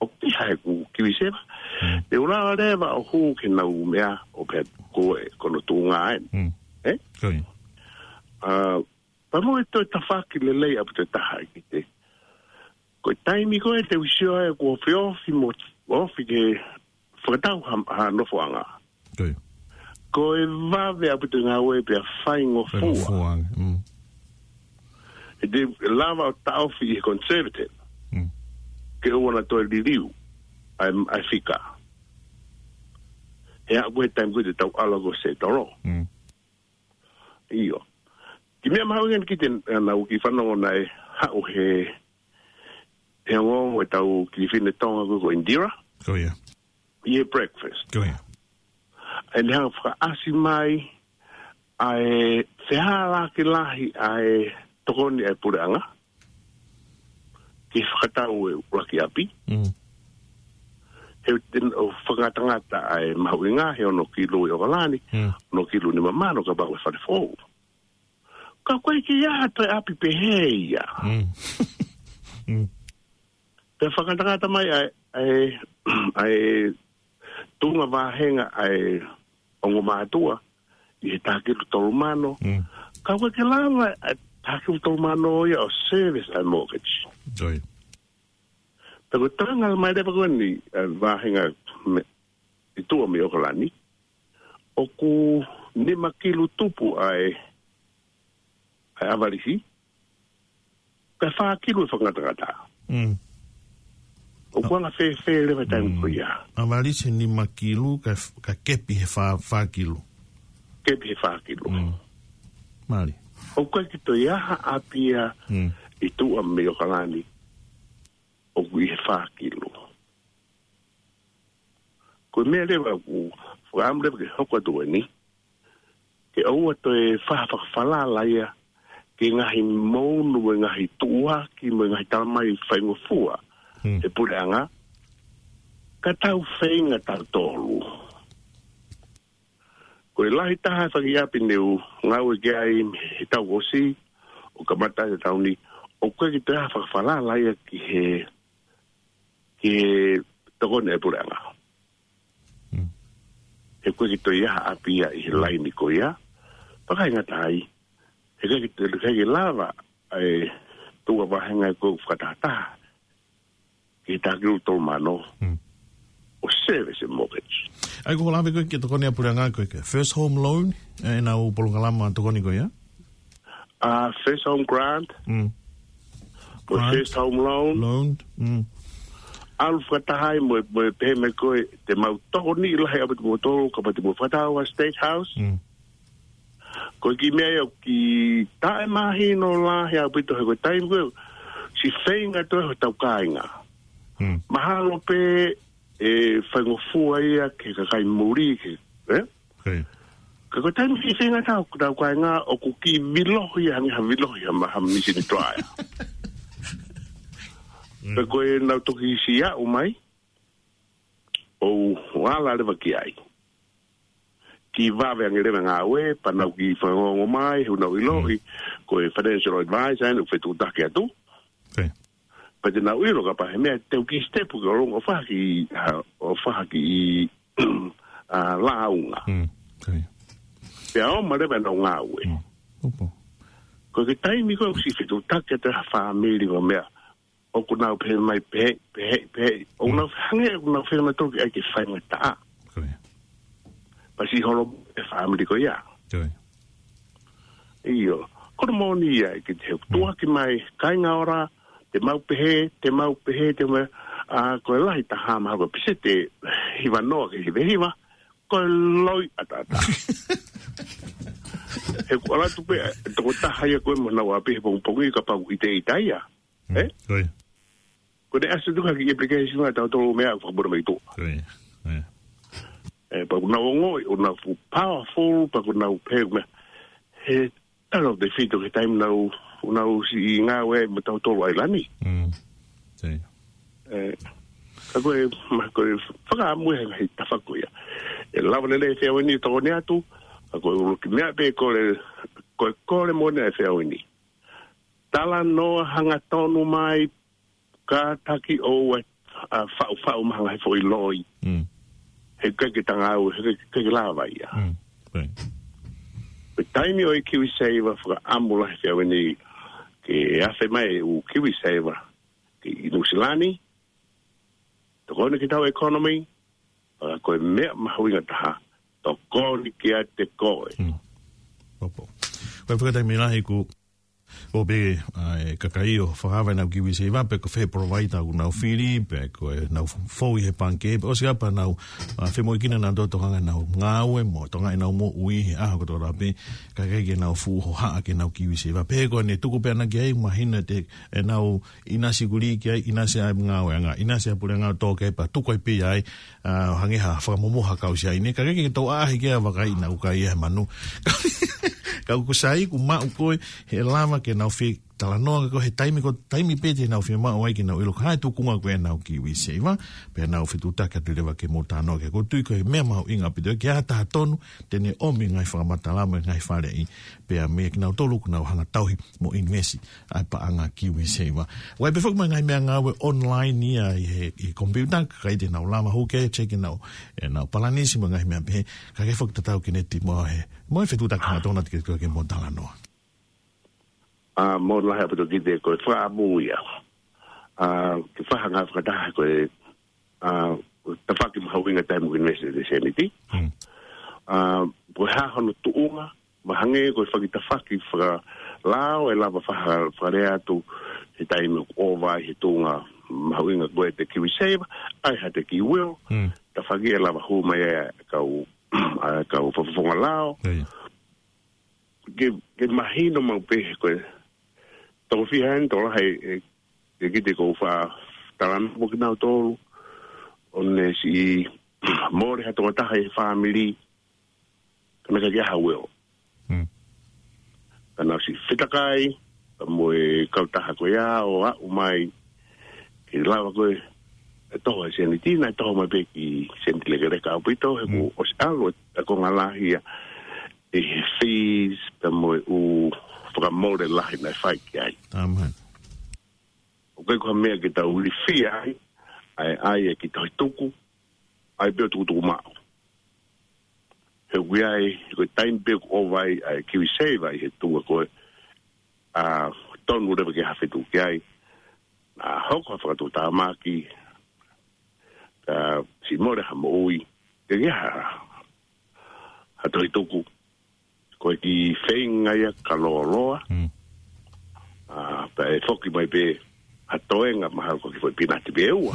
ʻoku ʻi ai haʻaku KiwiSaver. Mm. Te u lava leva ʻo hū ki heʻenau meʻa ʻo pehē ko e, ko hono tuʻunga eni. Mm. Ē? Ko ia. ʻA, pea mo e toe tafaʻaki lelei ʻaupito ʻe taha ʻe kite. Ko e taimi ko ē te u sio ai ʻoku ofi ofi mo ofi ke fakatau ha, ha nofoʻanga. Ko ia. Ko e vave ʻaupito e ngāue pea faingofua. Faingofua ange, mm. ʻE te lava ʻo taʻofi ʻi he conservative. Mm. Ke ʻoua naʻa toe liliu ʻa e, ʻa e fika. He ʻa ko e taimi ko ē te tau ʻalu ko ē ʻo settle. Mm. ʻIo. Kiʻi meʻa mahuʻinga eni kiate au ke fanongo naʻe haʻu he, he ongoongo ʻetau kiʻi fefine Tonga ko ē ko Indira. Ko ia. ʻI he breakfast. Ko ia. ʻA ia ne hanga ʻo fakaʻasi mai ʻa e fehālaaki lahi ʻa e tokoni ʻa e puleʻanga ke fakatau e ʻuluaki ʻapi. Mm. He ʻoku te nau fakangatangata ʻa e mahuʻinga he ono kilu ʻi ʻOkalani, Mm. ono kilu nima mano kapau ʻe fale foʻou. Ka ʻoku ʻikai ke ʻi ai ha toe ʻapi pehē ia. Mm. Mm. Pea fakangatangata mai ʻa e, ʻa e, ʻa e tuʻunga vāhenga ʻa e ongo mātuʻa ʻi he taha kilu tolu mano. Mm. Ka ʻoku ʻikai ke lava ʻa e taha kilu tolu mano ia ʻo service ʻa e mortgage. Ko ia. Pea ko e tanga mai leva ko eni, ʻa e vāhenga mei, ʻi tuʻa mei ʻOkalani, ʻoku nima kilu tupu ʻa e, ʻa e ʻavalisi, ka fā kilu e fakangatangata. Mm. ʻOku anga fēfē leva e taimi Mm. ko ia. ʻAvalisi nima kilu ka, ka kepi he fā, fā kilu. Kepi he fā kilu. Mm. Mālie. ʻOku ʻikai ke toe ʻi ai ha ʻapi ia Mm. ʻi tuʻa mei ʻOkalani ʻoku ʻi he fā kilu. Ko e meʻa leva ʻoku fakaʻamu leva ke hoko atu eni, ke ʻoua toe fai ha fakafalala ia ki he ngaahi mounu mo e ngaahi tuʻuaki mo e ngaahi tala mai faingofua Hmm. he puleʻanga, ka tau feinga tautolu. Ko e lahi taha e fanga kiʻi ʻapi ne u ngāue ki ai he taʻu kuo ʻosi, ʻo kamata he taʻu ni, ʻoku ʻikai ke toe ʻi ai ha fakafalala ia ki he, ki he tokoni ʻa e puleʻanga. Hmm. He ʻoku ʻikai ke toe ʻi ai ha ʻapi ia ʻi he laini ko ia. Pea ʻikai ngata ai, he ʻikai ke toe, ʻikai ke lava ʻa e tuʻu ʻa e vāhenga ko e fakatahataha ki he taha kilu tolu mano Hmm. ʻo service e mortgage. ʻA ia ko e lave ko ē ki he tokoni ʻa e puleʻanga ko e first home loan, ʻenau polokalama tokoni ko ia? ʻA, first home grant, Mm. mo e Grant. first home loan. Loan. Mm. ʻAlu fakataha ai mo e, mo e pehē mai ko ē, te mau tokoniʻi lahi ʻaupito kimoutolu, kapau te mou fakataha ʻa State House. Mm. Ko e kiʻi meʻa ia ʻoku taʻemahino lahi ʻaupito he ko e taimi ko ē, siʻi feinga toe hotau kāinga. Mm. Mahalo pē ʻe faingofua ia ki he kakai muli ke, ē? Hei. Ka ko e taimi siʻi feinga tau, tau kāinga ʻoku kiʻi vilohi ia, hangē ha vilohi ia, ma ha misini toaea. Mm. Pea ko ʻenau toki siʻi aʻu mai, ʻo u ala leva ki ai. Kiʻi vave ange leva ngāue, pea nau kiʻi fanongo mai, he ʻoku nau ʻiloʻi, Mm. ko e financial advisor, ʻoku fetuʻutaki atu. Hei. Pea te nau ʻilo kapau he meʻa te u kiʻi step ki ʻolunga ʻo fai ha kiʻi, ha, ʻo fai ha kiʻi, ʻa, lāunga. Mm. Hei. Pea ʻomai leva ʻenau ngāue. Mm. Opo. Ko e taimi ko ē ʻoku siʻi fetuʻutaki atu ha fāmili mo e meʻa, ʻoku nau pehē mai pehē, pehē, pehē. ʻOku Mm. nau hangē, ʻoku nau feinga mai toki ʻai ke faingataʻa. Ko ia. Pea siʻi holo e fāmili ko ia. Ko ia. ʻIo. Ko hono moʻoni ia, ke te Mm. tuʻuaki mai, kāinga ora, te mau pehē, te mau pehē, te mau, ʻa, ko e lahi taha mahalo ko e peseti hiva noa ki he hiva hiva, ko e loi ʻataʻatā. He ʻoku ʻalu atu pē, tokotaha ia ko ē mo ʻenau ʻapi he pongipongi kapau ʻe ʻita ia. Mm. Ē? Ko ia. Ko ʻene ʻasi atu ha kiʻi application ʻa tautolu meʻa ʻoku fakamolemole mai tuʻa. Ko ia. Ko ia. Ē, pea ʻoku nau ongoʻi, ʻoku nau fuʻu powerful, pea ʻoku nau pehē meʻa. He talo te fito ke taimi nau, nau siʻi ngāue mo tautolu ʻi ʻAilani. Mm. Ko ia. Ē, ka ko e, ma ko e fakaʻamu he ngaahi tafaʻaki ko ia. ʻE lava lelei e feau ni tokoni atu, ka ko e ʻuluaki meʻa pē kole, ko e kole moʻoni e feau ni. Talanoa hangatonu mai, kātaki ʻoua ʻe, ʻa, faʻufaʻu mai ha ngaahi foʻi loi. Mm. He ʻikai ke tau ngāue, he ʻikai ke lava ia. Mm. Right. Ko e taimi ʻo e KiwiSaver fakaʻamu lahi he feau ni ke afe mai e ʻū KiwiSaver ki Nuʻusila ni, tokoni ki heʻetau economy, pea ko e meʻa mahuʻinga taha, tokoni kiate koe. Mm. Opo. Ko e fakataimi lahi ʻoku, ʻoku pehē, ʻa, e kakai ʻoku fakaava ʻenau KiwiSaver, pe ko fē provider ʻoku nau fili, pe ko ʻenau fou ʻi he pangikē, pe ʻosi ʻa pea nau, ʻa, femoʻuekina ʻenau tokanga ʻenau ngāue mo, tokanga ʻenau moʻui, he ʻaho kotoa pē, ka ʻikai ke nau fuʻu hohaʻa ki heʻenau KiwiSaver. Pehē ko ʻene tuku pē ʻanaki ai, mahino te, ʻenau ʻinasi kulī ki ai, ʻinasi ʻa e ngāueʻanga, ʻinasi ʻa e puleʻanga ʻo tō ki ai pea tuku ai pē ai, ʻa, hangē ha fakamomoho ha kau siaine, ka ʻikai ke tau ʻaʻahi ki ai ʻo vakai ʻenau kai ʻa e manu. Ka ʻoku sai, ʻoku maʻu ko ē, he lava ke nau fie talanoa ko ē he taimi ko e taimi pē te nau fiemaʻu ai ke nau ʻilo ko e hā e tuʻunga ko ē ʻenau KiwiSaver, pea nau fetuʻutaki atu leva ke mou talanoa ki ai. ʻOku ou tui ko e meʻa mahuʻinga ʻaupito ke ʻi ai ha taha tonu, te ne ʻomi e ngaahi fakamatala mo e ngaahi faleʻi, pea mei kinautolu ʻoku nau hanga ʻo tauhi mo invest ʻa e paʻanga KiwiSaver. ʻOku ʻi ai pē foki mo e ngaahi meʻangāue online ia ʻi he, ʻi he computer, kae te nau lava hū ki ai, check ʻenau, ʻenau palanisi mo e ngaahi meʻa pehē, kae kei foki tatau ki he net mo e, mo e fetuʻutaki hangatonu atu ke, ke, ke mou talanoa. ʻA, mālō lahi ʻaupito kiate koe, fakaʻamu ia. ʻA, ke fai ha ngāue fakataha ko e, ʻa, tafaʻaki mahuʻinga taimi ʻoku invest e sēniti. Hmm. ʻA, ko e hā hono tuʻunga, mahalo ko e fanga tafaʻaki fakalao ʻe lava faka-, fakalea atu he taimi ʻoku ʻova ai he tuʻunga mahuʻinga ko ē ʻa e KiwiSaver, ʻa e ha te ki will, Hmm. tafaʻaki ʻe lava hū mai ai ʻa e kau, ʻa e kau fakafofonga lao. Ia, ia. Ke, ke mahino maʻu pē he ko e toko fiha eni, toko lahi e, e kiʻi te kou faʻa talanoa mo kinautolu, ʻo ne siʻi mole ha tokotaha ʻi he fāmili, ka naʻe ʻikai ke ʻi ai ha will. Hmm. Ka nau siʻi fetakai, pea mo e kautaha ko ia ʻo aʻu mai, ke lava ko ē, ʻe toho e sēniti, naʻe toho mai pē ki he sēniti lekeleka ʻaupito, he kuo ʻosi ʻalu e konga lahi ia, ʻi he fees, pea mo e ʻū fakamole lahi naʻe fai ki ai. Taman. ʻOku ʻikai ko ha meʻa ke tau ilifia ai, ʻa e, ʻa e kiʻi tohi tuku, ʻa e pē ʻo tukutuku maʻu. He ʻoku ʻi ai, ko e taimi pē ʻoku ʻova ai, ʻa e KiwiSaver ʻi he tuʻunga ko ē, ʻa, tonu leva ke ha fetuku ki ai, ʻa, hoko ha fakatuʻutāmaki, ka siʻi mole ha moʻui, ke ʻi ai ha, ha tohi tuku, ko e kiʻi feinga ia ka lōloa. Mm. ʻA, pea ʻe foki mai pē ha toenga mahalo ko e kiʻi foʻi pinati pē ʻe ua.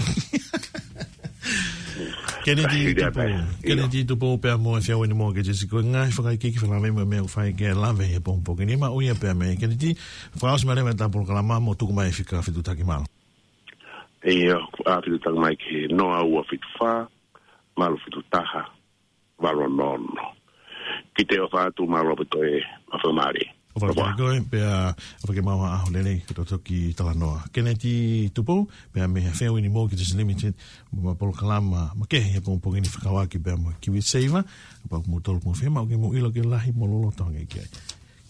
Keneti Tupou, Keneti Tupou pea mo e Fiau eni mo ke tesi ko e ngaahi fakaikiiki fakalavei mo e meʻa ʻoku fai ke lave he pongipongi ni, maʻu ia pea mei Keneti, fakaʻosi mai leva ʻeta polokalama mo tuku mai e fika fetuʻutaki mālō. ʻIo, ʻa, fetuʻutaki mai ki he noa ua fitu fā, valu fitu taha, valu ono ono. Kiʻi ʻofa atu, mālō ʻaupito e fakamālō. ʻOfa atu kiate koe, pea ʻofa ke maʻu ha ʻaho lelei, ke tau toki talanoa. Keneti Tupou, pea mei he Fiau eni mo ke tesi Limited, mo e polokalama makehe he pongipongi ni fekauʻaki pea mo e KiwiSaver, pea ʻoku mou tolu mou fiemaʻu ke mou ʻilo ke lahi mo loloto ange ki ai.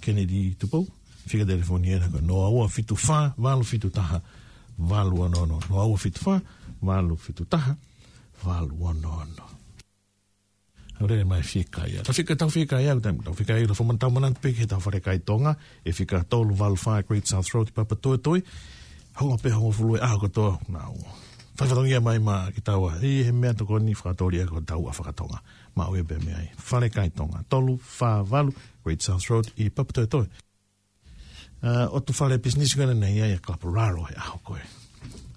Keneti Tupou, fika telefoni ena ko e noa ua fitu fā, valu fitu taha, valu ono ono, noa ua fitu fā, valu fitu taha, valu ono ono. ʻAlu leva mai fika ia. Tau fika, tau fika ia, tau, tau fika ia, tau fakamanatu pē ki heʻetau falekai Tonga, ʻi he fika tolu valu fā Great South Road ʻi Papatoetoe. Hongofulu pē, hongofulu e ʻaho kotoa, nau fai fatongia mai maʻa kitaua, ʻi he meʻatokoni fakatōliʻa ko e tauʻa faka-Tonga. Maʻu ia pē mei ai. Falekai Tonga, tolu fā valu Great South Road ʻi Papatoetoe. ʻA, ʻotu fale pisinisi ko ena naʻe ʻi ai ʻa Kaporalo he ʻaho ko ē.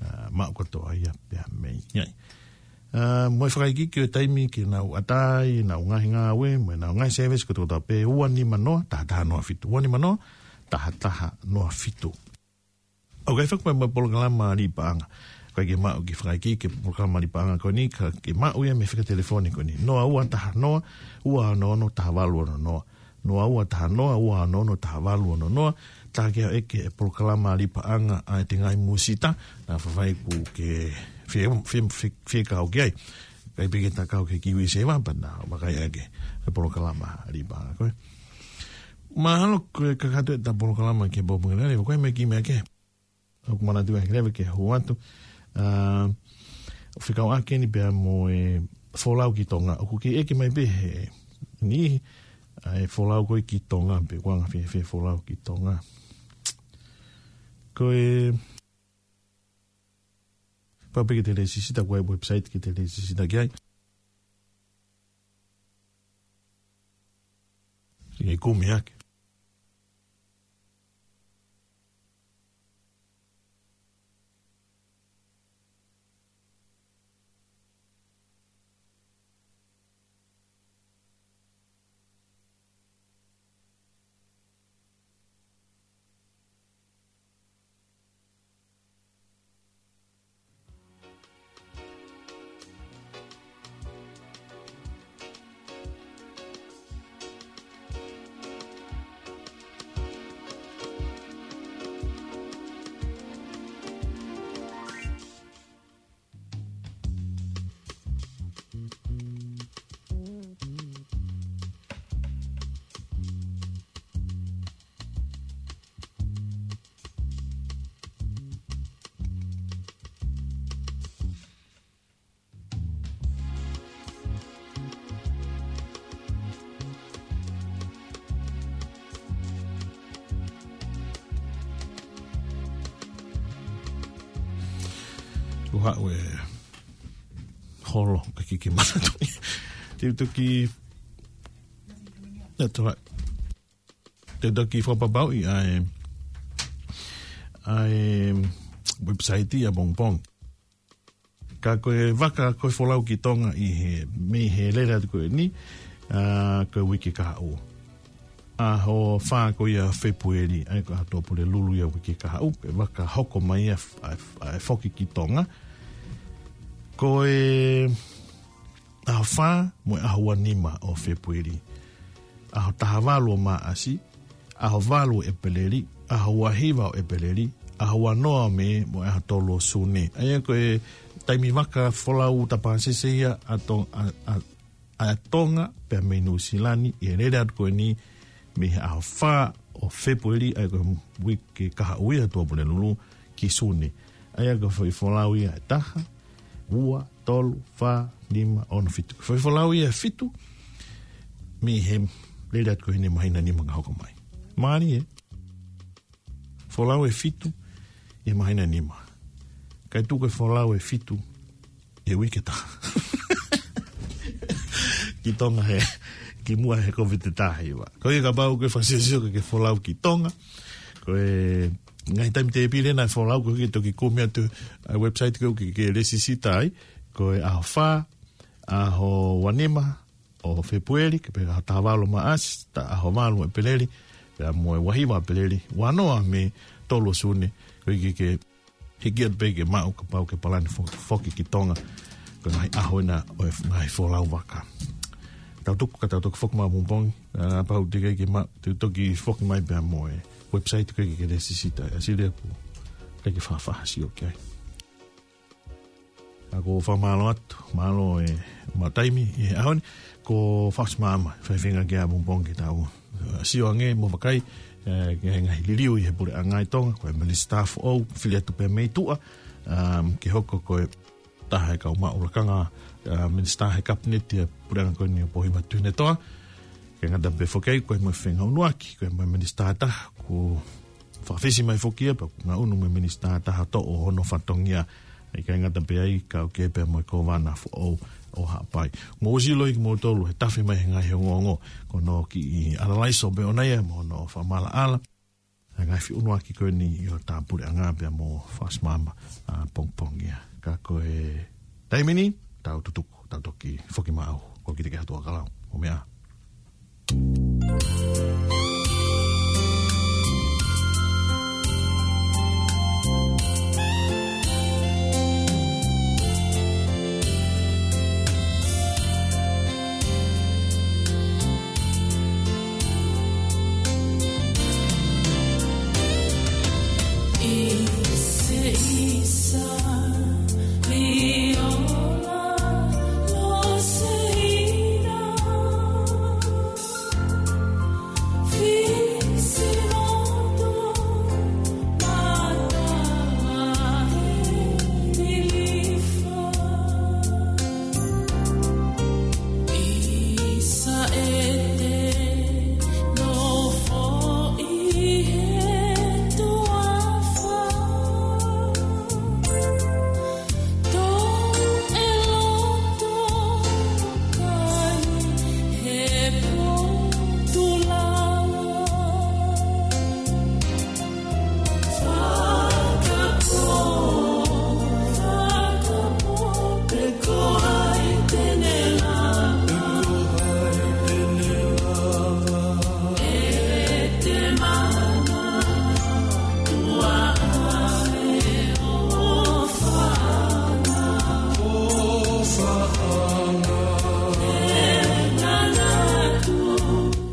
ʻA, maʻu kotoa ia pea mei ai. ʻA, mo e fakaikiiki ʻo e taimi ke nau ʻatā ai ʻenau ngaahi ngāue, mo ʻenau ngaahi service ko e toko taha pē, ua nima noa, taha taha noa fitu. Ua nima noa, taha taha noa fitu. ʻOku ʻi ai foki mo e polokalama liʻi paʻanga. ʻOku ʻikai ke maʻu e kiʻi fakaikiiki ki he polokalama liʻi paʻanga ko eni, ka ke maʻu ia mei he fika telefoni ko eni. Noa ua taha noa, ua ono ono, taha valu ono noa. Noa ua taha noa, ua ono ono, taha valu ono noa. Taha ke ʻeke e polokalama liʻi paʻanga ʻa e Tengaʻi Mūsita, naʻa faifai ʻoku ke fie, fie, fie, fie kau ki ai. ʻIkai pē ke ta kau ki he KiwiSaver, pea naʻa vakai ʻaki e polokalama liʻi paʻanga ko ē. Mahalo ko e kakato ʻeta polokalama ki he pongipongi ni, ko e meʻa ki meʻa ke. ʻOku manatu ʻa e leva ke hū atu. ʻA, ʻo fekauʻaki eni pea mo e folau ki Tonga. ʻOku kei ʻeke mai pē he niʻihi, ʻa e folau ko ē ki Tonga, pe ʻoku anga fēfē folau ki Tonga. Ko e, pau pē ke te lēsisita, ko e website ke te lēsisita ki ai. Ke kumi ake. Ua ue holo ka kiki manatu. Te u toki, that's all right. Te u toki fakapapauʻi ʻa e, ʻa e website ʻa Pongpong. Ka ko e vaka ko e folau ki Tonga ʻi he, mei he lele atu ko eni, ʻa, ko e uike kahaʻu. ʻAho fā ko ia Fepueli, ʻa ia ko e ʻaho Pulelulu ia uike kahaʻu, ko e vaka hoko mai ʻa, ʻa, ʻa e foki ki Tonga. Ko e ʻaho fā mo e ʻaho ua nima ʻo Fepueli. ʻAho taha valu ʻo Maʻasi, ʻaho valu ʻEpeleli, ʻaho ua hiva ʻEpeleli, ʻaho ua noa ʻo Mē, mo e ʻaho tolu ʻo Sune. ʻA ia ko e taimi vaka folau tapasese ia ʻa To-, ʻa, ʻa, ʻa Tonga, pea mei Nuʻusila ni, ʻi he lele atu ko eni, mei he ʻaho fā ʻo Fēpueli, ʻa ia ko e uike kahaʻu ia ʻa Tuʻapulelulu, ki Sune. ʻA ia ko e foʻi folau ia ʻe taha, ua, tolu, fā, nima, ono, fitu. Foʻi folau ia ʻe fitu, mei he lele atu ko eni māhina nima ka hoko mai. Mālie, folau ʻe fitu, ʻi he māhina nima. Kae tuku e folau ʻe fitu, ʻi he uike ʻe taha. Ki Tonga he, kimuʻa he Covid ʻe taha hiva. Ko ia kapau ko e fakasiosio ke folau ki Tonga. Ko e ngaahi taimi tēpile naʻe folau ko e ke toki kumi atu ʻa e website ko e ke, ke lēsisita ai. Ko e ʻaho fā, ʻaho ua nima ʻo Fēpueli, ke pehē ʻaho taha valu ʻo Maʻasi, ta ʻaho valu ʻEpeleli, pea mo e ua hiva ʻEpeleli, ua noa ʻo Mē, tolu ʻo Sune, ko e ke, ke hiki atu pē ke maʻu kapau ke palani fo-, foki ki Tonga, ko e ngaahi ʻaho ena ʻo e ngaahi folau vaka. Tau tuku ka tau toki foki mai ʻapongipongi, ʻa, pau te ke ke ma-, te toki foki mai pea mo e website ko e ke lēsisita, ʻa sile pu, te ke faʻa faʻa sio ki ai. ʻA ko e fakamālō atu, mālō e maʻu taimi ʻi he ʻaho ni, ko Faʻasi Maama, faifinga ke ʻapongipongi ke tau, ʻa, sio ange mo vakai, ʻe, ki he ngaahi liliu ʻi he puleʻanga ʻi Tonga, ko e minisitā foʻou, fili atu pē mei tuʻa, ʻa, ke hoko ko e taha e kau maʻu lakanga, ʻa, minisitā he kapineti ʻa e puleʻanga ko eni ʻo Pohima Tuʻiʻonetoa, ke ngata pē foki ai, ko e mo e fengāueʻaki, ko e mo e minisitā taha, ko fakafisi mai foki ia, pea ko e ngaʻunu mo e minisitā taha toʻo hono fatongia, ʻikai ngata pē ai, kau ke pea mo e kōvana foʻou ʻo Haʻapai. Mou ʻosi ʻiloʻi kimoutolu, he tafe mai he ngaahi ongoongo, ko hono kiʻi ʻalalaiso pē ʻoʻona ia, mo hono fakamaʻalaʻala, ʻa e ngaahi feʻunuʻaki ko eni ʻi hotau puleʻanga pea mo Faʻasi Maama, ʻapongipongi ia. Ka ko e taimi ni, tau tutuku, tau toki foki maʻu, ko kite ke hatu ʻa kalau, ʻo meʻa.